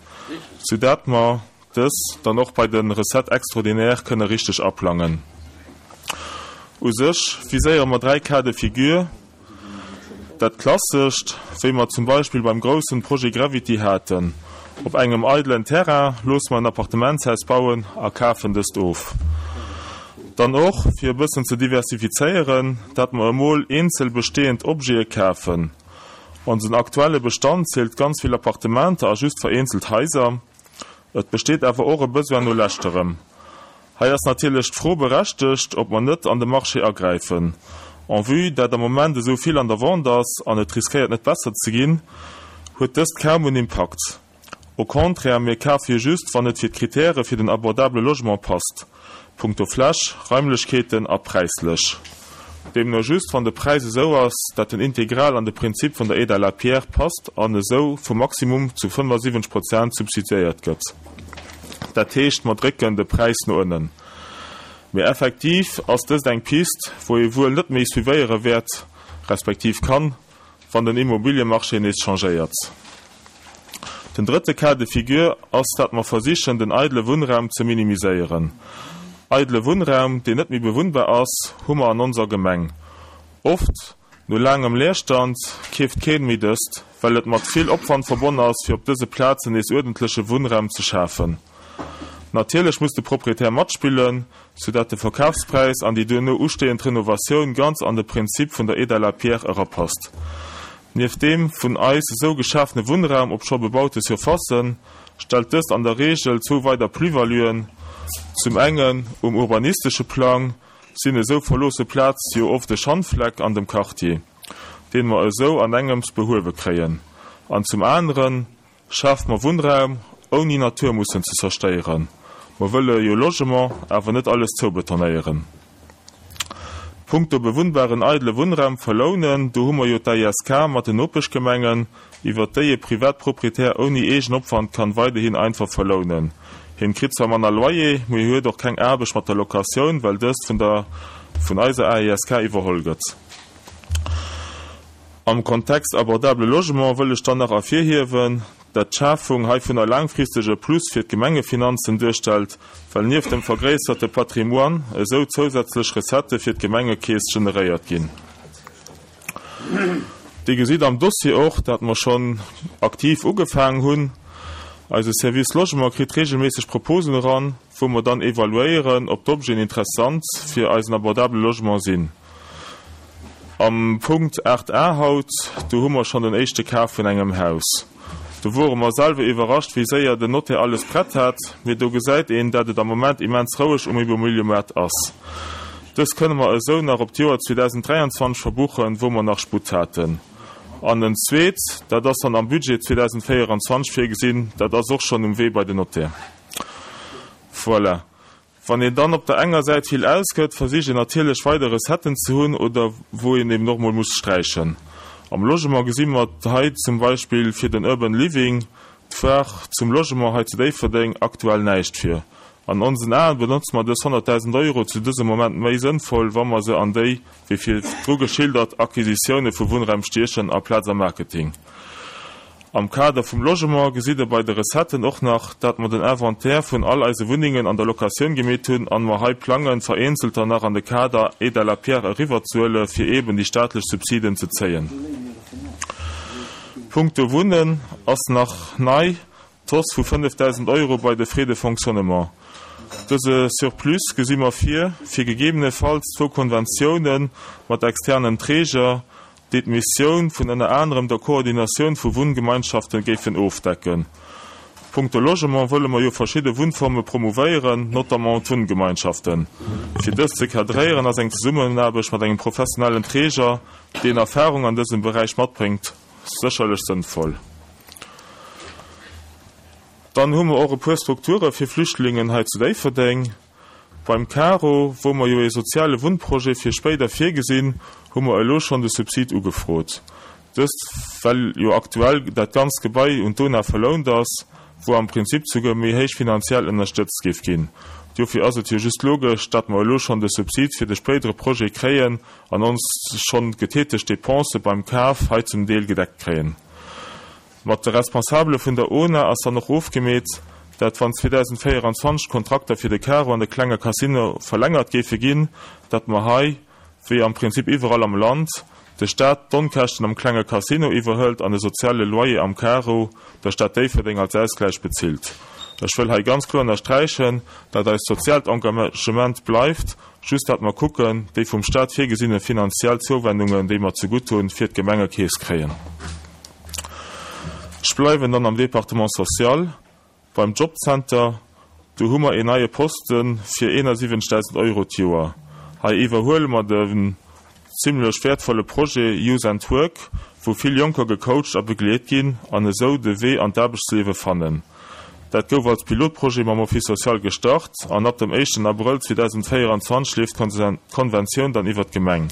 soudatt mer dës dann och bei de Recettes extraordinaires kënne richteg aplangen. U sech viséiere mer 3 Cas de figure. Dat Klassescht, wéi mer zum Beispill beim groussen Projet Gravity haten, Op engem eidelen Terrain loosse mer en Appartementshaus bauen a kafen dëst of. Dann och, fir e bëssen ze diversifizéieren, dat mer emol eenzel bestehend Objete kafen. Onsen aktuelle Bestand zielt ganz vill Appartementer a just vereenzelt Haiser. Et besteet awer och e Besoin no leschterem. Hei ass natierlech d'Fro berechtegt, ob mer net an de Marché agräifen. En vue dat am Moment esou vill an der Vente ass an et riskéiert net besser ze ginn, huet dëst kaum en Impakt. Au contraire, mir kafe jo just, wann et fir d'Kritäre fir den abordable Logement passt, punkto Fläch, Raimlechkeeten a präislech. Deemno just, wann de Präis esou ass, dat en integral an de Prinzip vun der Aide à la pierre passt an esou vum Maximum zu 75 Prozent subsidiéiert gëtt. Dat heescht, mer drécken de Präis no ënnen. Mee effektiv ass dëst eng Pist, wou ee wuel net méi suivéiere wäert, respektiv kann, wann den Immobiliemarché nees changéiert. Den drëtte Cas de figure ass, dat mer versichen, den eidele Wunnraum ze minimiséieren. Eidele Wunnraum, deen net méi bewunnbar ass, hu mer an onser Gemeng. Oft, no laangem Leerstand, keeft keen méi dëst, well et mat vill Opwand verbonn ass, fir op dëse Plazen nees uerdentleche Wunnraum ze schafen. Natierlech muss de Proprietär matspillen, sou dat de Verkafspräis an déi duerno ustehend Renovatioun ganz an de Prinzip vun der Aide à la pierre erapasst. Nieft deem vun eis esou geschafene Wunnraum op scho bebaute Surfacen, stellt dëst an der Reegel zwou weider Plus-valuen, Zum engen um urbanistesche Plang sinn esou verloosse Plaze jo oft e Schandfleck an dem Quartier, deen mer esou an engems behuewe kréien, an zum aneren, Schaaft mer Wunnraum, ouni Natur mussen ze zerstéieren. Mer wëlle jo Logement, awer net alles zoubetonéieren. Punkto bewunnbaren eidele Wunnraum verlounen, do hu mer jo d'AISK mat den Nopeschgemengen, iwwert déi e Privatproprietär ouni eegen Opwand kann weiderhin einfach verlounen. Hien kritt zwar manner Loyer, mee huet och keng Aarbecht mat der Locatioun, well dëst vun der vun eiser AISK iwwerholl gëtt. Am Kontext abordable Logement wëll ech dann nach ervirhiewen, dat d'Schafung heivunner laangfristeg e Plus fir d'Gemengefinanzen duerstellt, well nieft dem vergréisserte Patrimoine esou zousätzlech Recettë fir d'Gemengekeess generéiert ginn. Dir gesitt am Dossier och, dat mer schonn aktiv ugefaangen hunn. Eise Service Logement kritt regelméisseg Proposen eran, wou mer dann evaluéieren, ob d'Objeten interessant fir eisen abordable Logement sinn. Am Punkt 8 a haut, do hu mer schonn den éischte Kaf vun engem Haus. Do wore mer selwer iwwerrascht, wéi séier den Notaire alles prett hat. Mee do gesäit een, dat et am Moment immens roueg um Immobiliëmaart ass. Dëst kënne mer esou nach op d'Joer 2023 verbuchen, wou mer nach Sputt haten. An en zweet, dat ass dann am Budget 2024 virgesinn, dat ass och schonn um Wee bei den Notaire. Voilà. Wann een dann op der enger Säit vill ausgëtt, versicht een natierlech weider Recetten ze hunn oder wou een eben och mol muss sträichen. Am Logement gesi mer hei zum Beispill fir den Urban Living, d'Foire zum Logement hei zu Déifferdeng, aktuell näischt vir. An onsen Aen benotze mer dës 100.000 Euro zu dësem Moment méi sënnvoll, wa mer se an déi, wéi virdru geschildert, Acquisitioune vu Wunnraum stiechen aplaz am Marketing. Am Kader vum Logement gesitt Der bei de Recetten och nach, dat mer den Inventaire vun all eise Wunnengen an der Locatioun gemeet hunn an mer hei plangen, vereenzelter nach an de Kader Aide à la pierre eriwwerzehuele fir eeben déi staatlech Subsiden ze zéien. Punkto Wunnen ass nach nei d'Hausse vu 5.000 Euro bei de Frais de fonctionnement. Dëse Surplus gesi mer vir, fir gegebenefalls zwou Konventiounen mat externen Träger, déi d'Missioun vun ënner anerem der Koordinatioun vu Wunngemeinschaften géifen ofdecken. Punkto Logement wëlle mer jo verschidde Wunnforme promouvéieren, notamment d'Wunngemeinschaften. Fir dës ze cadréieren ass eng Zesummenaarbecht mat engem professionellen Träger, deen Erfahrung an dësem Beräich matbréngt, sécherlech sënnvoll. Dann hu mer och e puer Strukture fir Flüchtlingen hei zu Déifferdeng. Beim Caro, wou mer jo ee soziale Wunnprojet fir spéider virgesinn, hu mer elo schonn de Subsid ugefrot. Dëst well jo aktuell dat ganzt Gebai un d'ONA verlount ass, wou am Prinzip souguer méi héich finanziell ënnerstëtzt géif ginn. Dofir ass et jo just logesch, datt mer elo schonn de Subsid fir de spéidere Projet kréien an ons schonn getätegt Dépensë beim Kaf hei zum Deel gedeckt kréien. Mat de Responsabele vun der ona ass dann och ofgemeet, dat wann 2024 d'Kontrakter fir de Caro an de klenge Casino verlängert géife ginn, dat mer hei, wéi am Prinzip iwwerall am Land, de Staat d'Onkäschten am klenge Casino iwwerhëlt an de soziale Loyer am Caro der Stad Déifferdeng als Ausgläich bezilt. Ech wëll hei ganz kloer ënnersträichen, dat eist soziaalt Engagement bleift, just dat mer kucken, déi vum Staat virgesinne finanziell Zouwendungen, déi mer zegutt hunn, fir d'Gemengekeess kréien. Ech bleiwen dann am Département social. Beim Jobcenter, do hu mer een neie Poste fir 71.000 Euro d'Joer. Hei iwwerhuele mer den zimlech wäertvolle Projet Youth and Work, wou vill Jonker gecoacht a begleet ginn an esou de Wee an d'Aarbechtsliewe fannen. Dat gouf als Pilotprojet mam Office social gestart an ab dem éischten Abrëll 2024 leeft d'Konventioun dann iwwer d'Gemeng.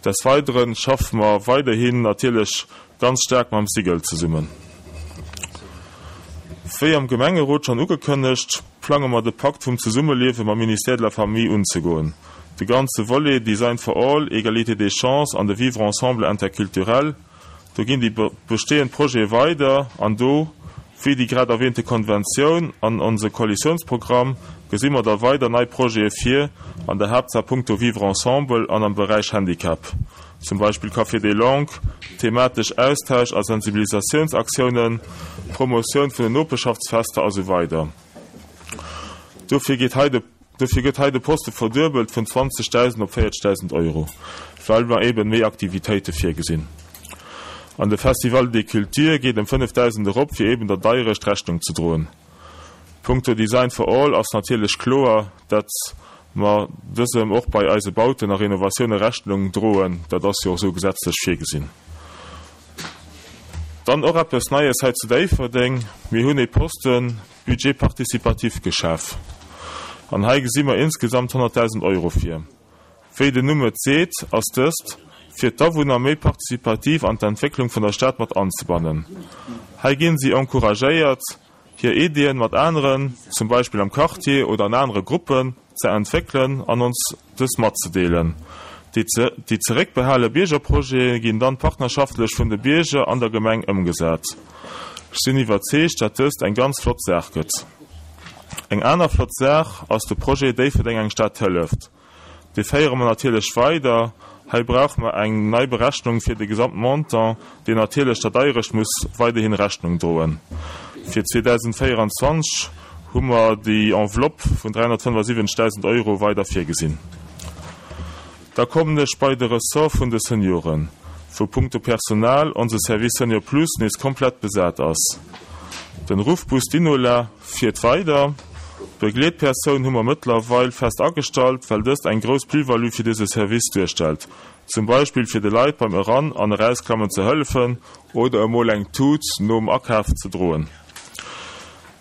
Des Weidere schaffe mer weiderhin natierlech ganz staark mam SIGEL zesummen. Wéi am Gemengerot schonn ugekënnegt, plange mer de Pakt vum Zesummeliewe mam Ministère de la Famille unzegoen. De ganze Volet Design for all, Égalité des chances an de Vivre ensemble interculturel, do ginn déi bestehend Projete weider an do, wéi déi grad erwähnte Konventioun an onse Koalitiounsprogramm, gesi mer da weider nei Projete vir, an der Haaptsaach punkto Vivre ensemble an am Beräich Handicap. zum Beispill Café des Langues, thematesch Austausch a Sensibilisatiounsaktiounen, Promotioun vun den Nopeschaftsfester a sou weider Dofir geet hei de Dofir gëtt hei de Poste verduebelt vun 20.000 op 40.000 Euro, well mer eben méi Aktivitéite virgesinn. An de Festival des Cultures geet ëm 5.000 erop, fir eben der Deierecht Rechnung ze droen. Punkto Design for All ass natierlech kloer, dat mer dësem och bei eise Bauten a Renovatioune Rechnung droen. Dat ass jo och esou gesetzlech virgesinn. Dann och eppes Neies hei zu Déifferdeng, Mir hunn ee Posten Budget participatif geschaf. An hei gesi mer insgesamt 100.000 Euro vir. Wéi den Numm et seet, ass dëst, fir d'Awunner méi participativ an d'Entwécklung vun der Stad mat anzebannen. Hei ginn si encouragéiert, hir Iddien mat aneren, zum Beispill am Quartier oder an anere Gruppen, ze entwéckelen an ons dës matzedeelen. Déi zeréckbehale Biergerprojete ginn dann partnerschaftlech vun de Bierger an der Gemeng ëmgesat. Ech sinn iwwerzeegt, dat dëst eng ganz flott Saach gëtt. Eng aner flott Saach ass de Projet Déifferdeng eng Stad hëlleft. Dee féiere mer natierlech weider. Hei brauche mer eng nei Berechnung fir de Gesamtmontant, deen natierlech der Deierecht muss weiderhin Rechnung droen. Fir 2024 hu mer déi Enveloppe vun 375.000 Euro weider virgesinn. Da kommen ech bei de Ressort vun de Senioren, wou punkto Personal onse Service Senior Plus nees komplett besat ass. Den Ruffbus Dinola fiert weider. D'Begleetpersoun hu mer mëttlerweil fest agestallt, well dëst eng grouss Plus-value fir dëse Service duerstellt, zum Beispill fir de Leit beim Eran an Erausklammen ze hëllefen oder emol eng Tut nom Akaf ze droen.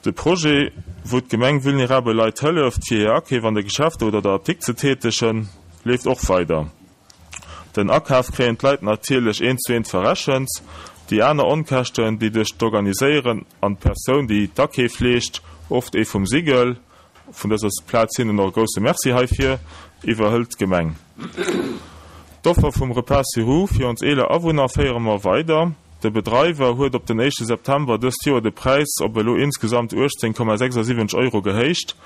De Projet, wou d'Gemeng vulnerabel Leit hëlleft, fir hir Akeef an de Geschäfter oder der Apdikt ze tätegen, leeft och weider. Den Akaf kréien d'Leit natierlech eent zu eent verrechent. Déi aner Onkäschten, déi duerch d'Organiséieren an d'Persoun, déi d'Akeef leescht, oft ee vum Sigel, vun dëser Plaz hinnen och e grousse Merci heifir, iwwerhëlt d'Gemeng. D'Offer vum Repas sur roues fir ons eeler Awunner féiere mer weider. De Bedreiwer huet op den éischte September dëst Joer de Präis op elo insgesamt 18,76 Euro gehéicht.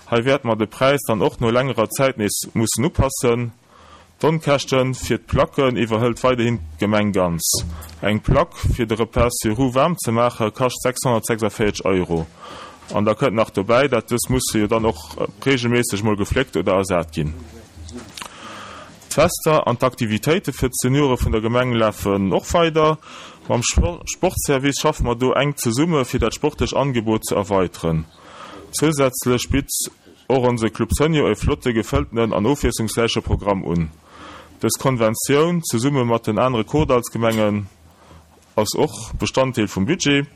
Hei wäerte mer de Präis dann och no längerer Zäit nees mussen upassen. D'Onkäschte fir d'Placken iwwerhëlt weiderhin d'Gemeng ganz. Eng Plack, fir de Repas sur roues waarm ze maache, kascht 646 Euro. An da kënnt nach dobäi, dat dës musse jo dann och reegelméisseg mol gefléckt oder ersat ginn. D'Fester an d'Aktivitéite fir d'Seniore vun der Gemeng lafen och weider. Mam Sportservice schaffe mer do enk zesumme fir dat sportlech Angebot ze erweiteren. Zousätzlech bitt och onse Club Senior e flotte, gefëlltenen an ofwiesslungsräiche Programm un. Dës Konventioun, zesumme mat den anere Kordallsgemengen, ass och Bestanddeel vum Budget.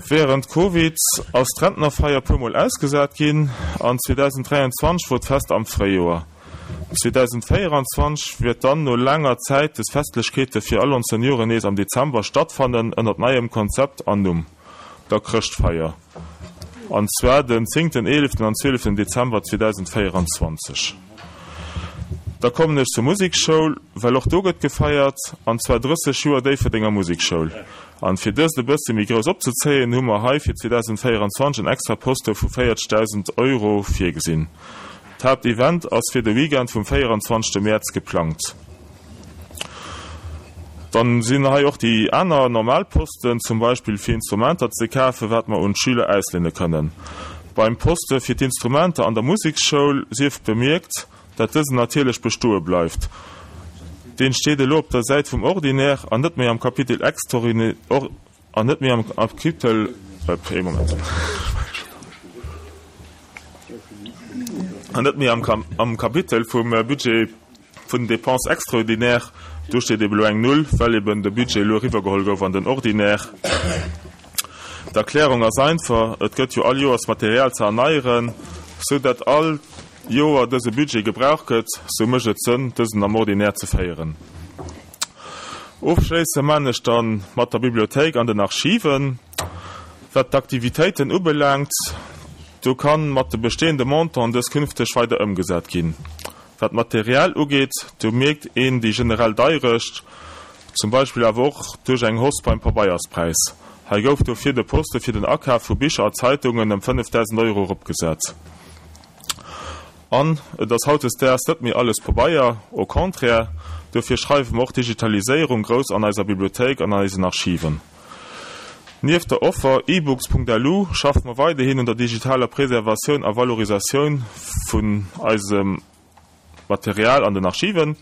Wärend Covid ass d'Rentnerfeier puer mol ausgesat ginn an 2023 wor d'Fest am Fréijoer. 2024 wäert dann no laanger Zäit des Festlechkeete fir all ons Senioren nees am Dezember stattfannen ënnert neiem Konzept an Numm. der Chrëschtfeier, an zwar den zéngten, eeleften an zwieleften Dezember 2024. Da kommen ech zur Musekschoul, well och do gëtt gefeiert, an zwar 30 Joer Déifferdenger Musekschoul. An fir dëst e bësse méi grouss opzezéien, hu mer hei fir 2024 en extra Poste vu 40.000 Euro virgesinn. D'Haaptevent ass fir de Weekend vum 24 Mäerz geplangt. Dann sinn hei och déi aner normal Posten, zum Beispill fir Instrumenter ze kafen, wat mer un d'Schüler ausléine kënnen. Beim Poste fir d'Instrumenter an der Museksschoul sief bemierkt, dat dësen natierlech bestoe bleift. Deen steet elo op der Säit vum Ordinaire an net méi am Kapitel extraordinaire an net méi am Kapitel, ee Moment, an net méi am Kapitel vum Budget vun den Dépenses extraordinaires. Do steet eben elo eng Null, well eben de Budget elo eriwwergeholl gouf an den Ordinaire. D'Erklärung ass einfach, Et gëtt jo all Joers Material ze erneieren, sou dat all Joer dëse Budget gebraucht gëtt, sou mécht et Sënn, dësen am Ordinaire ze féieren. Ofschléisse man ech dann mat der Bibliothéik an den Archiven. Wat d'Aktivitéiten ubelaangt, do kann mat de bestehende Montanten dës künfteg weider ëmgesat ginn. Wat d'Material ugeet, do mierkt een déi generell Deirecht, zum Beispill awer och duerch eng Hausse beim Pabeierspräis. Hei gouf dofir de Poste fir den Akaf vu Bicher a Zeitungen ëm 5.000 Euro eropgesat. An et ass hautdesdaags net méi alles Pabeier, au contraire, dofir schreiwe mer och d'Digitaliséierung grouss an eiser Bibliothéik an an eisen Archiven. Nieft der Offer ebooks.lu schaffe mer weiderhin un der digitaler Preservatioun a Valorisatioun vun eisem Material an den Archiven.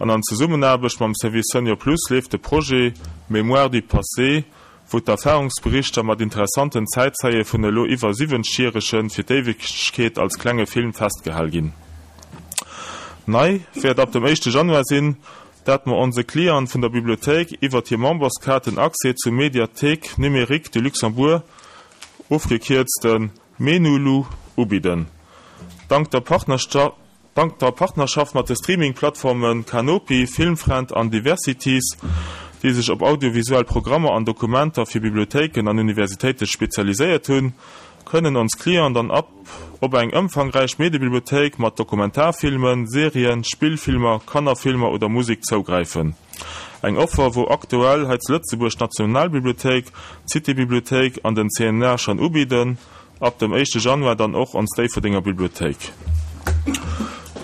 An an Zesummenaarbecht mam Service Senior Plus leeft de Projet Mémoire du passé, wou d'Erfahrungsberichter mat interessanten Zäitzeie vun elo iwwer 70 Järege fir d'Éiwegkeet als klenge Film festgehal ginn. Nei wäert ab dem éischte Januar sinn, dat mer onse Clienten vun der Bibliothéik iwwert hir Memberskaart den Accès zum Médiathèque numérique du Luxembourg, ofgekierzt de Menulu, ubidden. Dank der Dank der Partnerschaft mat de Streaming-Plattforme Kanopy, Filmfriend an Diversities, déi sech op audiovisuell Programmer an Dokumenter fir Bibliothéiken an Universitéite spezialiséiert hunn, kënnen ons Clienten dann ab op eng ëmfangräich Mediebibliothéik mat Dokumentarfilmen, Serien, Spillfilmer, Kannerfilmer oder Musek zougräifen. Eng Offer, wou aktuell hei zu Lëtzebuerg d'Nationalbibliothéik, d'Cité-Bibliothéik an den CNA schonn ubidden. Ab dem éischte Januar dann och ons Déifferdenger Bibliothéik.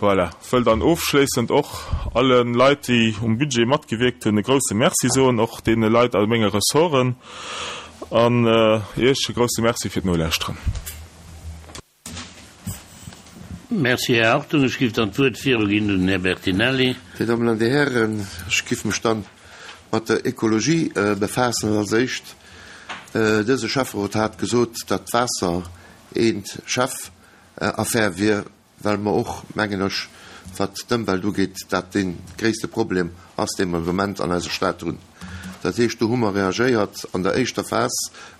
Voilà, wëll dann ofschléissend och alle Leit, déi um Budget matgewierkt hunn, e grouse Merci soen, och deene Leit a menge Ressorten, an Iech e grouse Merci fir d'Nolauschteren. Merci, Här Hartung. Ech géif dann d'Wuert viruginn un den Här Bertinelli. Dir Dammen an Dir Hären, ech géif mech dann mat der Ekologie befaassen. Als éischt Dëse Schäfferot hat gesot, datt d'Waasser een Chefaffär wier, well mer och, mengen ech, wat d'Ëmwelt ugeet, dat dee gréisste Problem ass, dee mer de Moment an eiser Stad hunn. Dat heescht, do hu mer reagéiert an der éischter Phas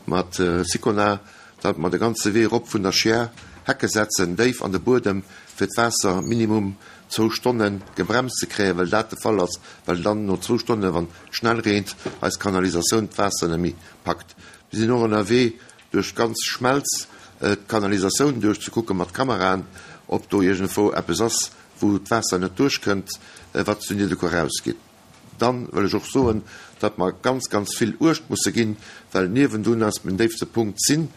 mat Sicona, datt mer de ganze Wee erop vun der Chiers Hecke setzen, déif an de Buedem, fir d'Waasser minimum zwou Stonne gebremst ze kréien, well dat de Fall ass, well dann no zwou Stonnen, wann et schnell reent, eis Kanalisatioun d'Waasser net méi packt. Mir sinn och ënnerwee, duerch d'ganz Schmelz d'Kanalisatioun duerchzekucke mat Kameraen, ob do iergendwou eppes ass, wou d'Waasser net duerchkënnt, wat zu Nidderkuer erausgeet. Dann wëll ech och soen, datt mer ganz, ganz vill Uecht musse ginn, well niewendun ass den déifste Punkt sinn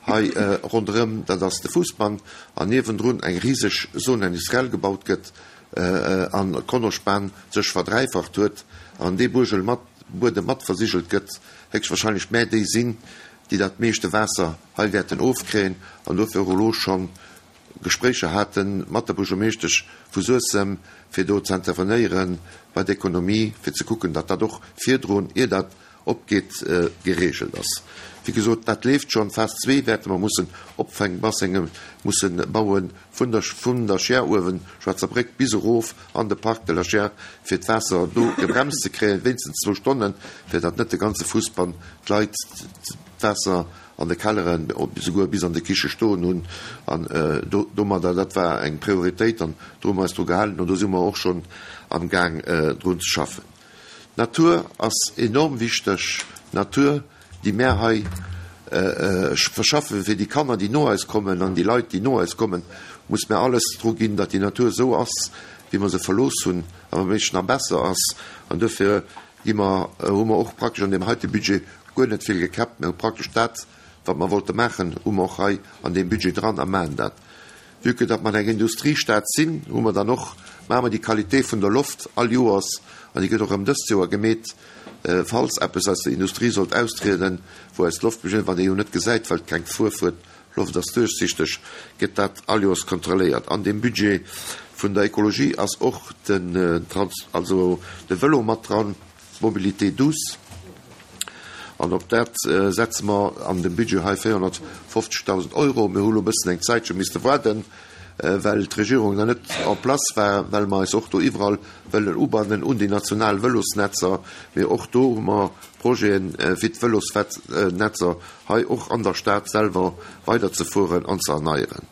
hei ronderëm, dat ass de Fuussbann, an niewendrun eng riseg Zone industrielle gebaut gëtt an d'Kronospan sech verdräifacht huet an dee Buergel mat Buedem mat versigelt gëtt, héchstwahrscheinlech mä déi sinn, déi dat meeschte Waasser hei wäerten ofkréien an dofir och elo schonn Gespréicher hate mat der Buergermeeschtesch vu Suessem, fir do ze intervenéiere bei der Ekonomie, fir ze kucken, datt dat och virdrun, ier dat opgeet, geregelt ass. Wéi gesot, dat leeft schonn. Phas zwee wäerte mer mussen Opfänkbassenge musse baue vun der vun der Scheer uewen, Schwaarzer Bréck, bis erof an de Parc de la Scheer, fir d'Waasser do gebremst ze kréien, wéinstens zwou Stonnen, fir datt net de ganze Fuussbann d'Leit d'Waasser an de Kelleren, souguer bis an de Kiche stoen hunn an domadder, dat war eng Prioritéit an do hu mer eis dru gehalen an do si mer och schonn am Gaang drun ze schaffen. D'Natur ass enorm wichteg, d'Natur déi mär hei verschaffen fir déi Kanner déi no eis kommen an déi Leit déi no eis kommen, muss mär alles dru ginn, datt déi Natur esou ass wéi mer se verlooss hunn a wa méiglech nach besser ass an duerfir gi mer, hu mer och praktesch an deem heite Budget guer net vill gekäppt. Mir hu praktesch dat, wat mer wollte maachen, hu mer och hei an deem Budget dran a maachen dat. Vue que datt mer eng Industriestad sinn, hu mer dann och, maache mer déi Qualité vun der Loft all Joers, an déi gëtt och erëm dëst Joer gemeet, falls eppes aus der Industrie sollt austrieden, wou eis Loft, wat ee jo net gesäit, well et keng Fuerf huet, D'Loft ass duerchsichteg, gëtt dat all Joers kontrolléiert. An deem Budget. vun der Ekologie ass och den Trans, also de Vëlo mat dran, d'Mobilité douce. An op dat setze mer an dem Budget hei 450.000 Euro. Mir hu lo e bëssen eng Zäitche misste waarden, well d'Regierung nach net en place war, well mer eis och do iwwerall wëllen ubannen un déi national Vëlosnetzer. Mee och do hu mer Projeten, fir d'Vëlosnetzer hei och an der Stad selwer weiderzefueren an ze erneieren.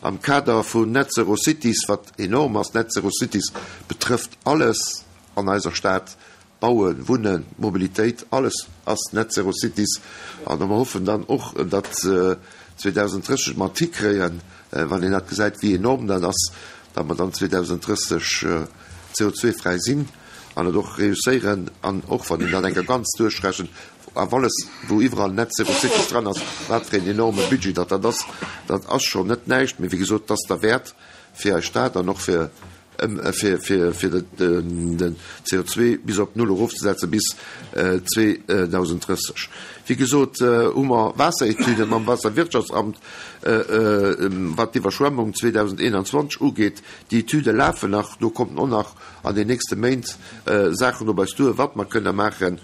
Am Kader vun Net Zero Cities, wat enorm ass, Net Zero Cities betrëfft alles an eiser Stad, Bauen, Wunnen, Mobilitéit, alles ass Net Zero Cities. An mer hoffen dann och, datt 2030 mer et hikréien, wann een dat gesäit, wéi enorm dat ass, datt mer dann 2030 CO2-fräi sinn an et och reusséieren. An och wann een dat eng Kéier ganz duerchrechent, awer alles, wou iwwerall Net Zero Cities dran ass, wat fir een enorme Budget datt dat ass, dat ass schonn net näischt. Mee wéi gesot, et ass derwäert fir eis Stad an och fir fir den CO2 bis op Null erofzesetzen bis 2030. Wéi gesot hu mer Waasseretüden mam Waasserwirtschaftsamt, wat d'Iwwerschwemmung 2021 ugeet. Déi Etüde lafen nach, do kommen och nach an den nächste Méint Saachen op eis duer, wat mer kënne maachen.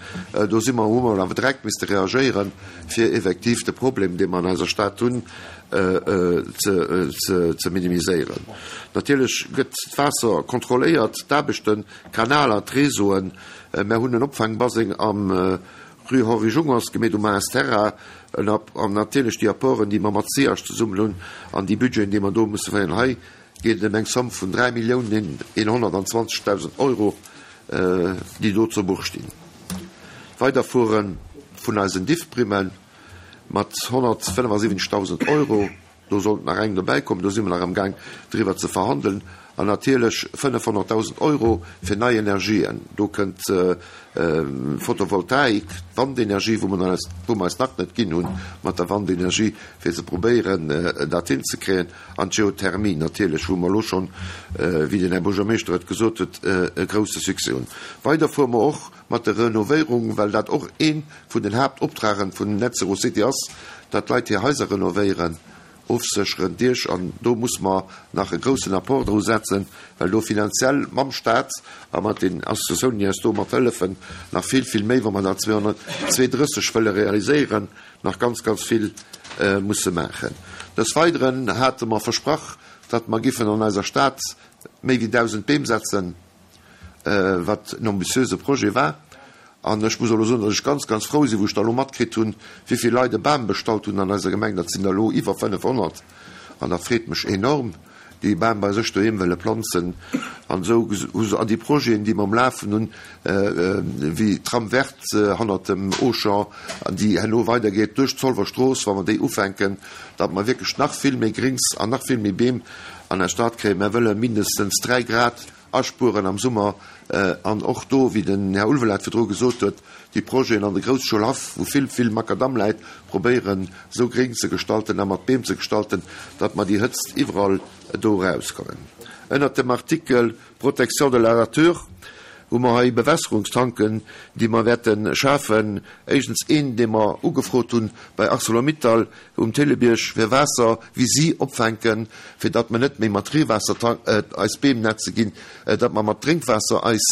Do si mer, hu mer awer direkt misste reagéieren, fir effektiv de Problem, dee mer an eiser Stad hunn, ze minimiséieren. Natierlech gëtt d'Waasser kontrolléiert, d'Aarbechten, d'Kanaler, d'Réseauen. Mär hunn en Opfaangbaseng am Rue Henri Jungers gemeet um AS Terra an natierlech déi Apporten, déi mer mat SIAG zesummen hunn an déi Budgeten, déi mer do musse féieren. Hei geet et ëm eng Somme vun 3 Milliounen 120.000 Euro, déi do zu Buch stinn. D'Weiderfuere vun eisen Diffprimmen. Mat 175.000 Euro, do sollt nach eng dobäi kommen, do si mer nach am Gaang driwwer ze verhandeln, an natierlech 500.000 Euro fir nei Energien. Do kënnt d'Photovoltaik, d'Wandenergie, wou mer eis, wou mer eis nach net ginn hunn mat der Wandenergie, fir ze probéieren dat hinzekréien, an d'Geothermie natierlech, wou mer elo schonn, wéi den Här Buergermeeschter et gesot huet, e grouse Succès hunn. Weider fuere mer och mat der Renovéierung, well dat och ee vun den Haaptoptragen vun Net Zero City ass, datt d'Leit hir Haiser renovéieren, ofsécheren, Diech, an do muss mer nach e groussen Apport dru setzen, well do finanziell mam Stat a mat den Associatiounen, déi eis do mat hëllefen, nach vill, vill méi, wa mer dat 232 wëlle realiséieren, nach ganz, ganz vill musse maachen. Des Weideren hate mer versprach, datt mer giffen an eiser Stad méi wéi 1.000 Beem setzen. wat en ambitiöse Projet war. An ech muss elo soen, datt ech ganz, ganz frou sinn, wou ech da elo matkritt hunn, wéi vill Leit e Bam bestallt hunn an eiser Gemeng. Dat sinn der elo iwwer 500. An dat freet mech enorm, déi e Bam bei sech doheem wëlle planzen. An esou hu se, an déi Projeten, déi mer am Lafen hunn, wéi d'Trame verte hannert dem Auchan, an déi herno weidergeet duerch d'Zolwer Strooss, wa mer déi ufänken, datt mer wierklech nach vill méi Grings an nach vill méi Beem an eis Stad kréien. Mer wëlle mindestens 3 Grad Aspueren am Summer an och do, wéi den Här Ulveling virdru gesot huet, déi Projeten an de Groussschoulhaff, wou vill, vill Makadamm läit, probéieren esou gréng ze gestalten a mat Beem ze gestalten, datt mer déi Hëtzt iwwerall do erauskommen. Ënnert dem Artikel Protection de la nature hu mer hei Bewässerungstanken, déi mer wäerte schafen. Éischtens een, dee mer ugefrot hunn bei Arcelor-Mittal, Um Thillerbierg fir Waasser wéi si opfänken, fir datt mer net méi mat Reewaasser eis Beem nätze ginn, datt mer mat Drénkwaasser eis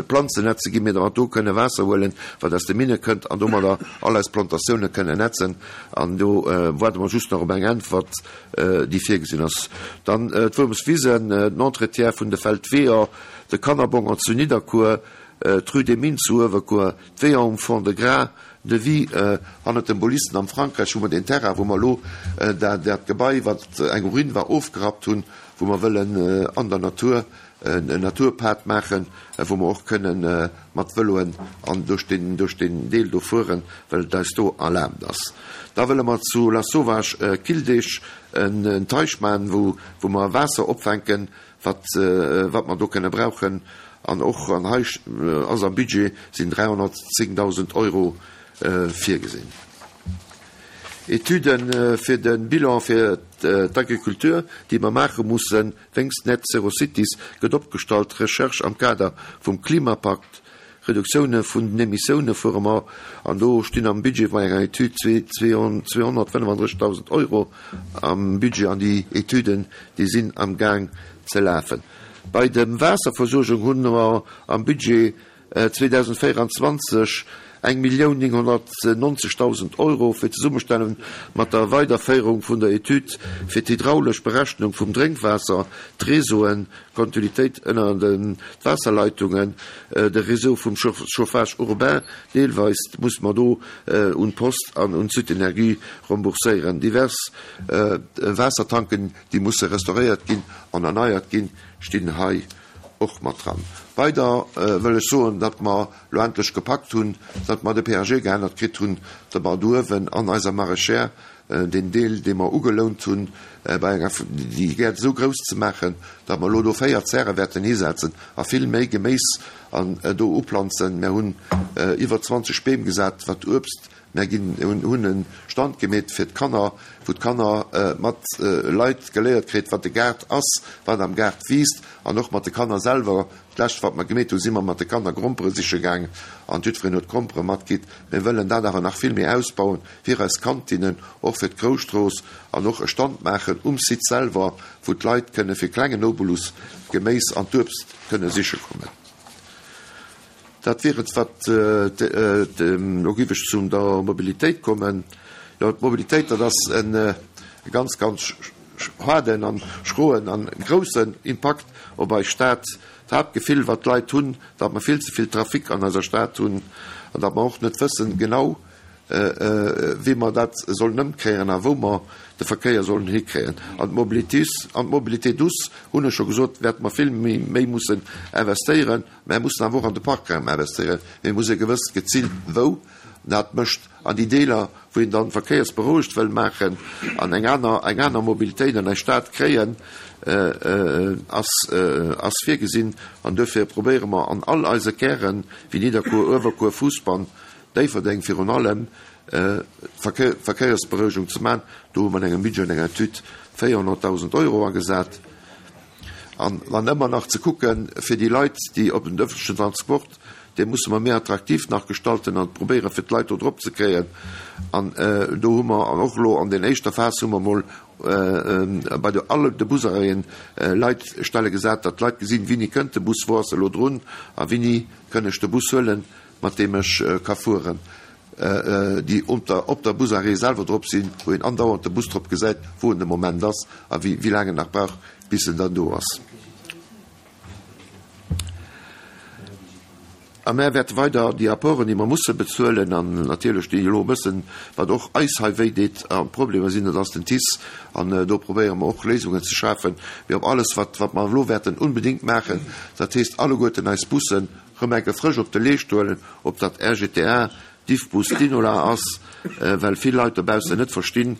Planzen nätze ginn, mee datt mer do kënne Waasser huelen, wat aus de Minne kënnt an domadder all eis Plantatioune kënne nätzen. An do waarde mer just nach op eng Äntwert, déi virgesinn ass. Dann d'Wuermswisen, den Entretien vun de Feldweeër, de Kannerbongert zu Nidderkuer, d'Rue des Mines zu Uewerkuer, d'Weeër um Fond-de-Gras, Devis, Hannert dem Bolisten am Frankräich hu mer deen Terrain, wou mer elo dat Gebai, wat eng Ruine war, ofgerappt hunn, wou mer wëllen an der Natur en Naturpad maachen, wou mer och kënnen mat Vëloen an duerch deen, duerch deen Deel do fueren, well et eis do erlaabt ass. Da wëlle mer zu Lasauvage Killdeeg en Teich maachen, wou, wou mer Waasser opfänken, wat, wat mer do kënne brauchen. An och an hei ass am Budget sinn 310.000 Euro virgesinn. Etüde fir de Bilan fir d'Agriculture, déi mer maache mussen wéinst Net Zero Cities, gëtt opgestallt. Recherche am Kader vum Klimapakt, Reduktioune vun den Emissioune fuere mer an do stinn am Budget bei enger Etüd 235.000 Euro am Budget an déi Etüden, déi sinn am Gaang. ze lafen. Bei de Waasserversuergung hunn mer am Budget 2024 1.990.000 Euro fir d'Zesummestellung mat der Weiderféierung vun der Etüd fir d'hydraulesch Berechnung vum Drénkwaasser, d'Réseauen, d'Kontinuitéit ënner de Waasserleitungen, de Réseau vum Chauffage urbain, deelweis muss mer do un d'Post an un d'Sud-Energie rembourséieren. Divers Waassertanken, déi musse restauréiert ginn an erneiert ginn, stinn hei och mat dran. Weider wëll ech soen, datt mer elo endlech gepackt hunn, datt mer de PAG geännert kritt hunn, datt mer do uewen an eiser Maraîchère deen Deel, dee mer ugelount hunn, bei enger, déi Gäert esou grouss ze maachen, datt mer elo do 4 Zäre wäerten hisetzen a vill méi Geméis an do uplanzen. Mer hunn iwwer 20 Beem gesat, wat Uebst Mär ginn, hunn e Stand gemeet fir d'Kanner, wou d'Kanner mat Leit geléiert kritt, wat de Gaart ass, wat am Gaart wiisst an och mat de Kanner selwer. D'lescht wat mer gemeet hunn, si mer mat de Kanner Grompere siche gaang an jiddwereen huet Grompere matgitt. Mir wëllen dat awer nach vill méi ausbauen fir eis Kantinnen, och fir d'Groustrooss an och e Stand maachen um Site selwer, wou d'Leit kënne fir klengen Obolus d'Geméis an d'Uebst kënne siche kommen. Dat wier et, wat elo géif ech zu der Mobilitéit kommen. Jo, d'Mobilitéit, dat ass e ganz, ganz haarden a schroen a groussen Impakt op eis Stad. D'Haaptgefill, wat d'Leit hunn, datt mer vill ze vill Trafic an eiser Stad hunn an datt mer och net wëssen genau, wéi mer dat sollen ëmkréien a wou mer de Verkéier sollen hikréien. An d'Mobilité douce, hunn ech scho gesot, wäerte mer vill méi mussen investéieren. Mär mussen awer och an de Parkraum investéieren, mee et muss ee gewëss geziilt wou dat mécht an déi Deeler, wou een dann verkéiersberouegt wëll maachen an eng aner, eng aner Mobilitéit an eis Stad kréien, ass, ass virgesinn. An duerfir probéiere mer an all eise Kären, wéi Nidderkuer, Uewerkuer, Fousbann, Déifferdeng virun allem, d'Verkéiersberouegung ze maachen. Do hu mer an engem Budget, an enger Etüd 400.000 Euro agesat. An dann ëmmer nach ze kucken, fir déi Leit, déi op den öffentlichen Transport, dee musse mer méi attraktiv nach gestalten an probéieren, fir d'Leit do drop ze kréien. An do hu mer och elo an den éischter Phas hu mer emol bei de alle de Busarrêten Leitstelle gesat, datt d'Leit gesinn, wéini kënnt de Bus, wou ass e elo drun a wéini kënn ech de Bus huelen, mat deem ech ka fueren. Déi op der Busarrêt selwer drop sinn, wou een andauernd de Bus drop gesäit, wou en de Moment ass a wéi laang en nach brauch, bis en dann do ass. A mär wäerte weider déi Apporten, déi mer musse bezuelen, an natierlech déi elo e bëssen, wat och eis hei wéi deet a Problemer sinn, dat ass den TICE, an do probéiere mer och Léisungen ze schafen. Mee op alles, wat mer elo wäerten unbedéngt maachen, dat heescht alleguerten eis Bussen rëm enke frësch op de Leescht huelen, ob dat RGTA, Diffbus, Dinola ass, well vill Leit dobaussen net verstinn,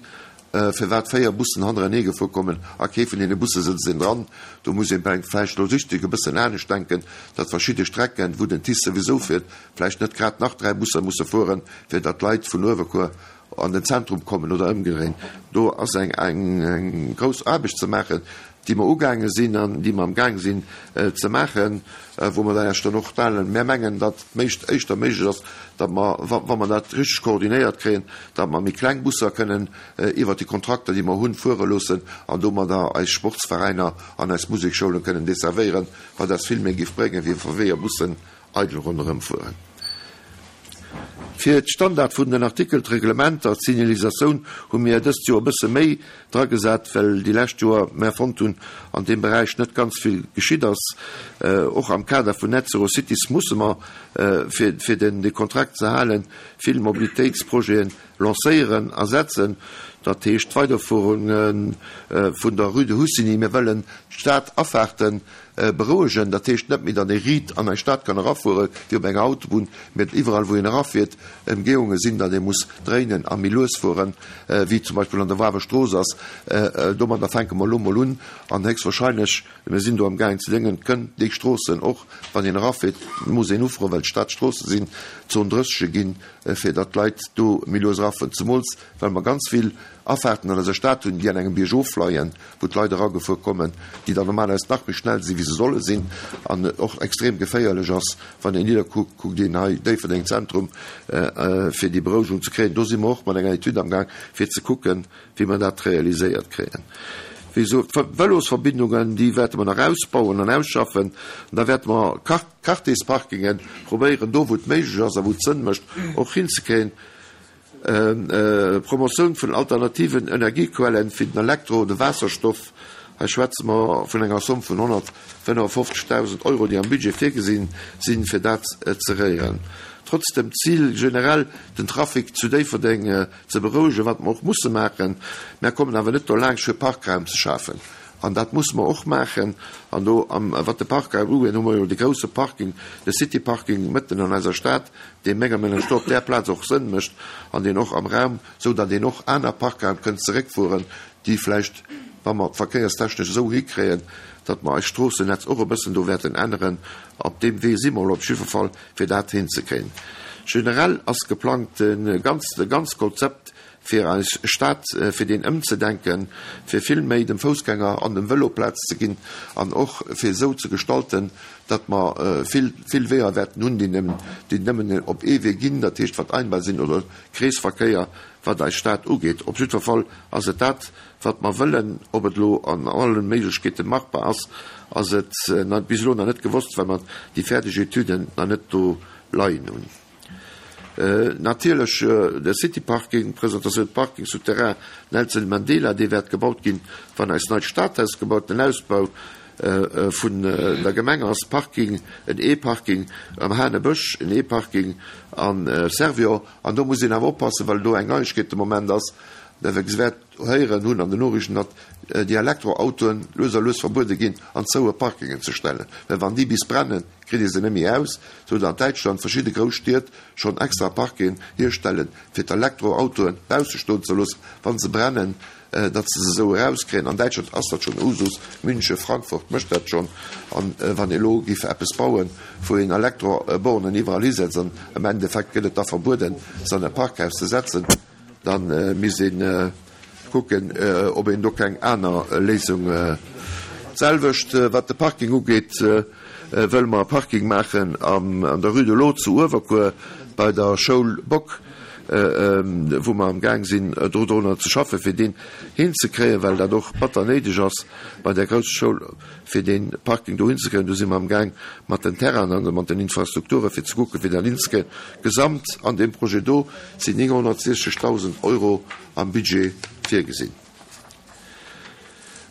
firwat 4 Bussen hannerenee gefuer kommen a kee vun deene Busse sëtzt een dran. Do muss ee vläicht logistesch e bëssen anescht denken, datt verschidde Strecken, wou den TICE souwisou fiert, vläicht net grad nach 3 Busser musse fueren, fir datt d'Leit vun Uewerkuer an den Zentrum kommen oder ëmgedréint. Do ass eng grouss Aarbecht ze maachen, déi mer ugaange sinn an déi mer amgaang sinn ze maachen, wou mer dann Iech dann och teilen. Mär mengen, datt et éischter méiglech ass, datt mer, wa mer dat richteg koordinéiert kréien, datt mer méi kleng Busser kënnen iwwert déi Kontrakter, déi mer hunn, fuere loossen an domadder eis Sportsveräiner an eis Musekschoulen kënnen desservéieren, wat eis vill méi géif bréngen, wéi wa 4 Bussen eidel ronderëm fueren. Fir d'Standard vun den Artikel, d'Reglementer, d'Signalisatioun hu mir dëst Joer e bësse méi dragesat, well déi lescht Joer mär fonnt hunn, an deem Beräich net ganz vill geschitt ass. Och am Kader vun Net Zero Cities musse mer, fir den de Kontrakt ze halen, vill Mobilitéitsprojeten lancéieren a setzen. Dat heescht d'Weiderfuerung vun der Rue de Hussigny. Mir wëllen d'Stad-Afahrten Berouegen, dat heescht net méi, datt ee riit an eng Stad kann erafuere wéi op enger Autobunn, mä datt iwwerall wou een erafiert Emgehunge sinn, datt ee muss dréinen a méi lues fueren, wéi zum Beispill an der Wawer Strooss ass. Domadder fänke mer elo mol un an héchstwahrscheinlech, mir sinn do am gaangen ze déngen, kënn déi Stroossen och, wann een erafiert, muss een ufroen, well d'Stadstroosse sinn, Zon 30 ginn, fir datt d'Leit do méi lues erafueren, zemools well mer ganz vill Afaarten an eiser Stad hunn, déi an engem Biergof leien, wou d'Leit eragefuer kommen, déi dann normalerweis nach méi schnell sinn, wéi se solle sinn, an et och extrem geféierlech ass, wann een nidderkuckt, kuckt een hei Déifferdeng Zentrum, fir déi Berouegung ze kréien. Do si mer och mat enger Etüd amgaang, fir ze kucken, wéi mer dat realiséiert kréien. Wéi gesot, d'Vëlosverbindungen, déi wäerte mer nach ausbauen an ausschaffen. An da wäerte mer Quartiersparkingen probéieren, do wou et méiglech ass a wou et Sënn mécht, och hinzekréien. Promotioun vun alternativen Energiequellen wéi den Elektro-, de Waasserstoff, hei schwätze mer vun enger Somm vun 155.000 Euro, déi am Budget virgesinn sinn, fir dat ze réieren. Trotz dem Zil generell den Trafic zu Déifferdeng ze berouegen, wat mer och musse maachen, mär kommen awer net dolaanscht fir Parkraum ze schafen. An dat musse mer och maachen. An do, wat de Parkraum ugeet, hu mer jo de grousse Parking, de City Parking mëtten an eiser Stad, dee menger Meenung no op där Plaz och Sënn mécht an deen och am Raum, esou datt een och aner Parkraum kënnt zeréckfueren, déi vläicht, wa mer d'verkéierstechnesch esou hikréien, datt mer eist Stroossennetz och e bëssen do wäerten änneren. Op deem Wee si mer elo op jidfer Fall, fir dat hinzekréien. Generell ass geplangt, de ganz Konzept fir eis Stad, fir deen ëmzedenken, fir vill méi dem Foussgänger an dem Vëlo Plaz ze ginn an och fir esou ze gestalten, datt mer vill, vill Weeër wäerten hunn, déi déi nëmmen op ee Wee ginn, dat heescht wat Einbahn sinn oder Kreesverkéier, wat eis Stad ugeet. Op jiddwer Fall ass et dat, wat mer wëllen. Ob et elo an alle Méiglechkeete machbar ass, ass et bis elo nach net gewosst, well mer déi fäerdeg Etüden nach net do leien hunn. Natierlech de City Parking, Presentatioun Parking souterrain Nelson Mandela, dee wäert gebaut ginn, wann eist neit Stadhaus gebaut, den Ausbau vun der Gemeng ass, Parking, en E-Parking am Hanebësch, en E-Parking am Servior. An do muss een awer oppassen, well do eng Neiegkeet de Moment ass, der wäert héieren hunn an den Noriichten, datt déi Elektroautoen lues a lues verbuede ginn an zoue Parkingen ze stellen, well wann déi bis brennen, kritt ee se net méi aus, sou datt an Däitschland verschidde grouss Stied schonn extra Parkingen hierstellen, fir d'Elektroautoen bausse stoen ze loossen, wa se brennen, datt se se esou erauskréien. An Däitschland ass dat schonn Usus, München, Frankfurt mécht dat schonn. An wann ee elo géif eppes bauen, wou een Elektrobornen iwwerall hisetzt an am Endeffekt gëtt et da verbueden, se an e Parkhaus ze setzen, Da misst ee kucken, ob een do keng aner Léisung. D'selwecht wat de Parking ugeet, wëlle mer e Parking maachen an der Rue de l'Eau zu Uewerkuer bei der Schoul Bock, wou mer am Gaang sinn dodrunner ze schaffen, fir deen hinzekréien, well dat och batter néideg ass bei där grousser Schoul. fir dee Parking do hinzekréien. Do si mer amgaang mat den Terrainen a mat den Infrastrukture fir ze kucken, fir dat hinzekréien. Gesamt an deem Projet do sinn 960.000 Euro am Budget virgesinn.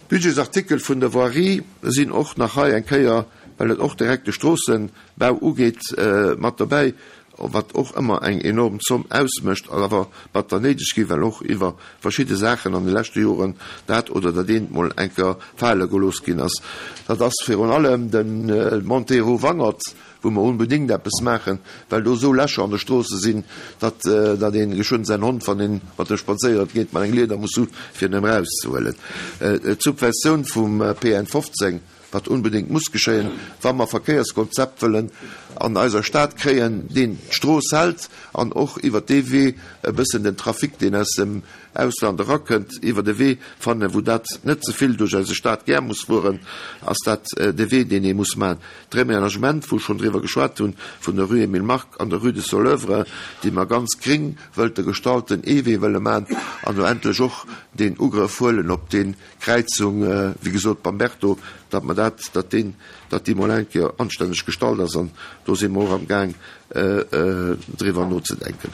D'Budgetsartikel vun der Voirie sinn och nach hei eng Kéier, well et och direkt de Stroossenbau ugeet, mat dobäi. wat och ëmmer eng enorm Zomm ausmécht, awer batter néideg ginn, well och iwwer verschidde Saachen an de leschte Joren dat oder dat eent mol eng Kéier fale gelooss ginn ass. Dat ass virun allem de Montée rue Wangert, wou mer onbedéngt eppes maachen, well do esou Lächer an de Stroosse sinn, datt datt ee geschwënn säin Hond, wann ee mat em spadséiere geet, mat engem Lieder muss hu fir en erauszehuelen. D'Subventioun vum PN 15, wat onbedéngt muss geschéien, wa mer Verkéierskonzept wëllen an eiser Stad kréien, deen d'Strooss hält an och iwwert dee Wee e bëssen den Trafic, deen aus dem Ausland erakënnt, iwwert e Wee fannen, wou dat net ze vill duerch eise Stad gär muss fueren, ass dat de Wee, deen ee muss maachen. D'Reménagement, wou ech schonn driwwer geschwat hunn, vun der Rue Emile Mark an der Rue de Soleuvre, déi mer ganz gréng wëlte gestalten, ee Wee wëlle maachen an do endlech och deen Ugrëff huelen op dee Kräizung, wéi gesot, beim Berto, datt mer dat, datt deen, datt déi mol eng Kéier anstänneg gestallt ass an do si mer och am Gaang driwwer nozedenken.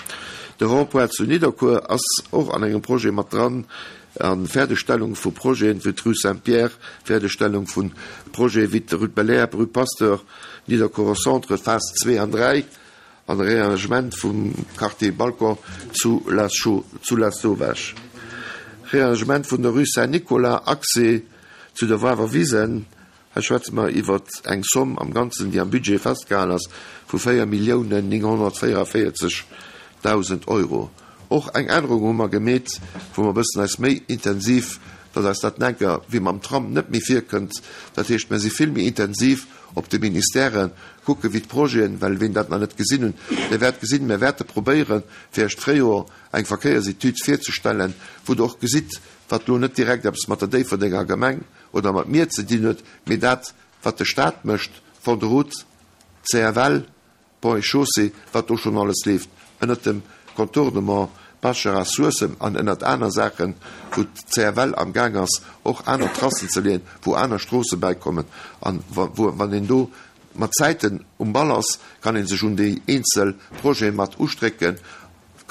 De Rond-point zu Nidderkuer ass och an engem Projet mat dran, a Fäerdegstellung vu Projeten wéi d'Rue Saint-Pierre, Fäerdegstellung vu Projete wéi d'Rue de Bel-Air, Rue Pasteur, Nidderkuerer Centre, Phase 2 an 3. An Rearrangement vum Quartier Balcon zu Lasauvage. Rearrangement vun der Rue Saint-Nicolas, Accès zu der Wawer Wisen. Hei schwätze mer iwwer eng Somm am Ganzen, déi am Budget festgehalen ass, vu 4.944.000 Euro. Och eng Ännerung hu mer gemeet, wou mer e bëssen eis méi intensiv, datt eis dat enker wéi mam Tram net méi virkënnt, dat heescht, mer si vill méi intensiv op de Ministèren, kucken, wéi d'Projeten, well ween dat nach net gesinn hunn, dee wäert gesinn, mir wäerte probéieren, fir Iech d'Fréijoer eng Verkéiersetüd virzestellen, wou Der och gesitt, wat elo net direkt eppes mat der Déifferdenger Gemeng oder mat mir ze dinn huet, mee dat, wat de Stat mécht, Fonds de route, CFL, Ponts et Chaussées, wat do schonn alles leeft ënnert dem Contournement. Baschera, Suessem an ënnert aner Saachen, wou d'CFL am Gaang ass och aner Tracen ze leeën, wou aner Stroosse bäikommen an wou, wann een do mat Zäiten um Ball ass, kann ee sech un déi eenzel Projete mat ustrécken.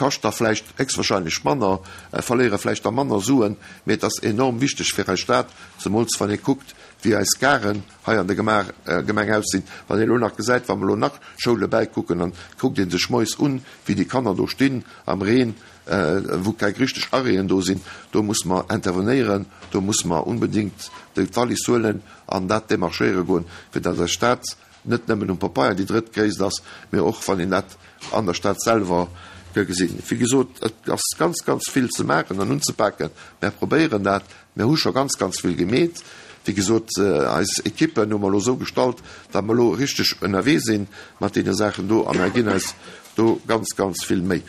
Kascht da vläicht héchstwahrscheinlech manner, verléiere vläicht da manner Suen, mee et ass enorm wichteg fir eis Stad, zemools wann ee kuckt, wéi eis Garen hei an der Gemeng aussinn. Wann ee elo nach gesäit, wa mer elo nach Schoule bäikucken, dann kuckt ee sech moies un, wéi déi Kanner do stinn am Reen, wou keng richteg Arrêten do sinn. Do musse mer intervenéieren, do musse mer unbedéngt d'Wallis huelen an dat demarchéiere goen, fir datt eis Stad net nëmmen um Papeier déi drëttgréisst ass, mee och wann een dat an der Stad selwer ka gesinn. Wéi gesot, et ass ganz, ganz vill ze maachen an unzepaken. Mär probéieren dat. Mär hu scho ganz, ganz vill gemeet. Wéi gesot, eis Ekippen hu mer elo esou gestallt, datt mer elo richteg ënnerwee si mat deene Saachen do a mär ginn eis do ganz, ganz vill Méi.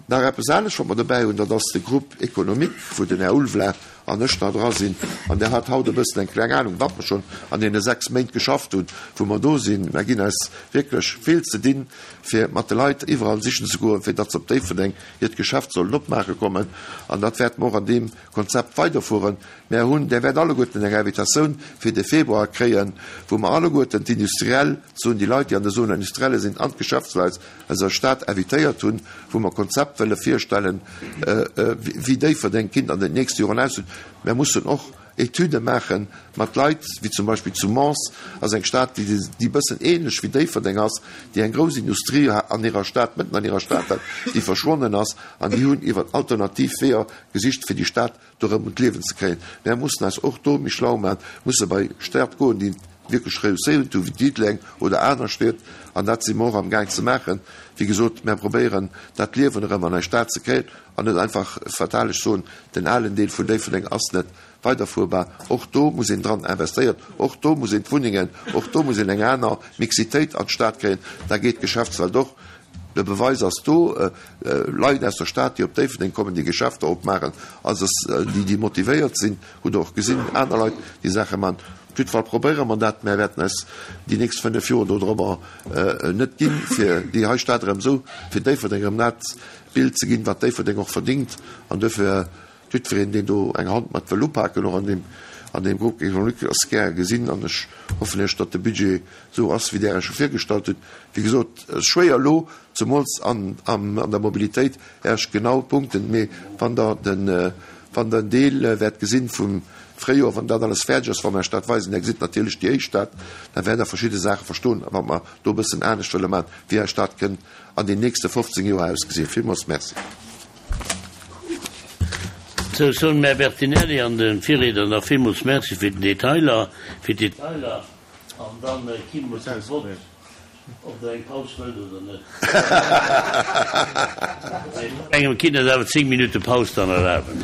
Nach eppes anescht, wat mer dobäi hunn, dat ass de Groupe économique, wou den Här Ulveling an ech nach dra sinn. An der hat haut e bëssen eng kleng Ahnung, wat mer schonn an deene 6 Méint geschafft hunn, wou mer do sinn. Mer ginn eis wierklech vill ze dinn, fir mat de Leit iwwerall sichen ze goen, fir datt se op Déifferdeng hiert Geschäft sollen opmaache kommen. An dat wäerte mer och an deem Konzept weiderfueren. Mer hunn, Där wäert alleguerten eng Invitatioun fir de Februar kréien, wou mer alleguerten d'Industriell, Zone, déi Leit, déi an der Zone industrielle sinn, an d'Geschäftsleit aus der Stad invitéiert hunn, wou mer Konzept wëlle virstellen, wéi Déifferdeng kinnt an den nächste Joren aussinn. Mer mussen och Etüde maache mat Leit, wéi zum Beispill zu Mons ass eng Stad, déi e bëssen ähnlech wéi Déifferdeng ass, déi eng grouss Industrie an hirer Stad, mëtten an hirer Stad hat, déi verschwonnen ass, an déi hunn iwwer alternativ Weeër gesicht, fir déi Stad do erëm un d'Liewen ze kréien. Mär mussen eis och do méi schlau maachen, musse bei Stad goen, déi wierklech reusséiert hu wéi Diddeleng oder aner Stied, an dat si mer och am Gaang ze maachen. Wéi gesot, mär probéieren dat Liewen erëm an eis Stad ze kréien an net einfach fatalesch soen, den alen Deel vun Déifferdeng ass net weiderfuerbar. Och do muss een dran investéieren, och do muss een d'Wunnengen, och do muss een eng aner Mixitéit an d'Stad kréien, da geet d'Geschäftswelt och. De Beweis ass do, Leit aus der Stad, déi op Déifferdeng kommen, déi Geschäfter opmaachen, also déi, déi motivéiert sinn, hutt Der och gesinn, aner Leit, déi Saache maachen. Op jiddwer Fall probéiere mer dat. Mär wäerten eis déi nächst 5 Joer dodrobber net ginn, fir déi hei Stad erëm esou, fir Déifferdeng erëm dat Bild ze ginn, wat Déifferdeng och verdingt. An duerfir Jiddwereen, deen do eng Hand mat wëll upaken, och an deem, an deem Groupe économique, ass gär gesinn. An ech hoffen Iech, datt de Budget esou ass, wéi Där e scho virgestallt hutt. Wéi gesot, et ass schwéier elo, zemools an, an der Mobilitéit, Iech genau Punkten, mee wann Der den, wann Der en Deel wäert gesinn vum Fréijoer, wann dat alles fäerdeg ass, wa mer Iech dat weisen, Där gesitt natierlech déi éischt dat, da wäert Der verschidde Saache verstoen, wat mer do e bëssen anescht wëlle maachen, wéi eis Stad kënnt an den nächste 15 Joer ausgesinn. Villmools Merci. Sou, ech soen dem Här Bertinelli an de Virriedner nach villmools Merci fir den Detailer, fir d'Detailer, an da ki mer zum Vott, ob Der eng Paus wëllt oder net. Engem kinnt eis awer 10 Minutte Paus dann erlaben.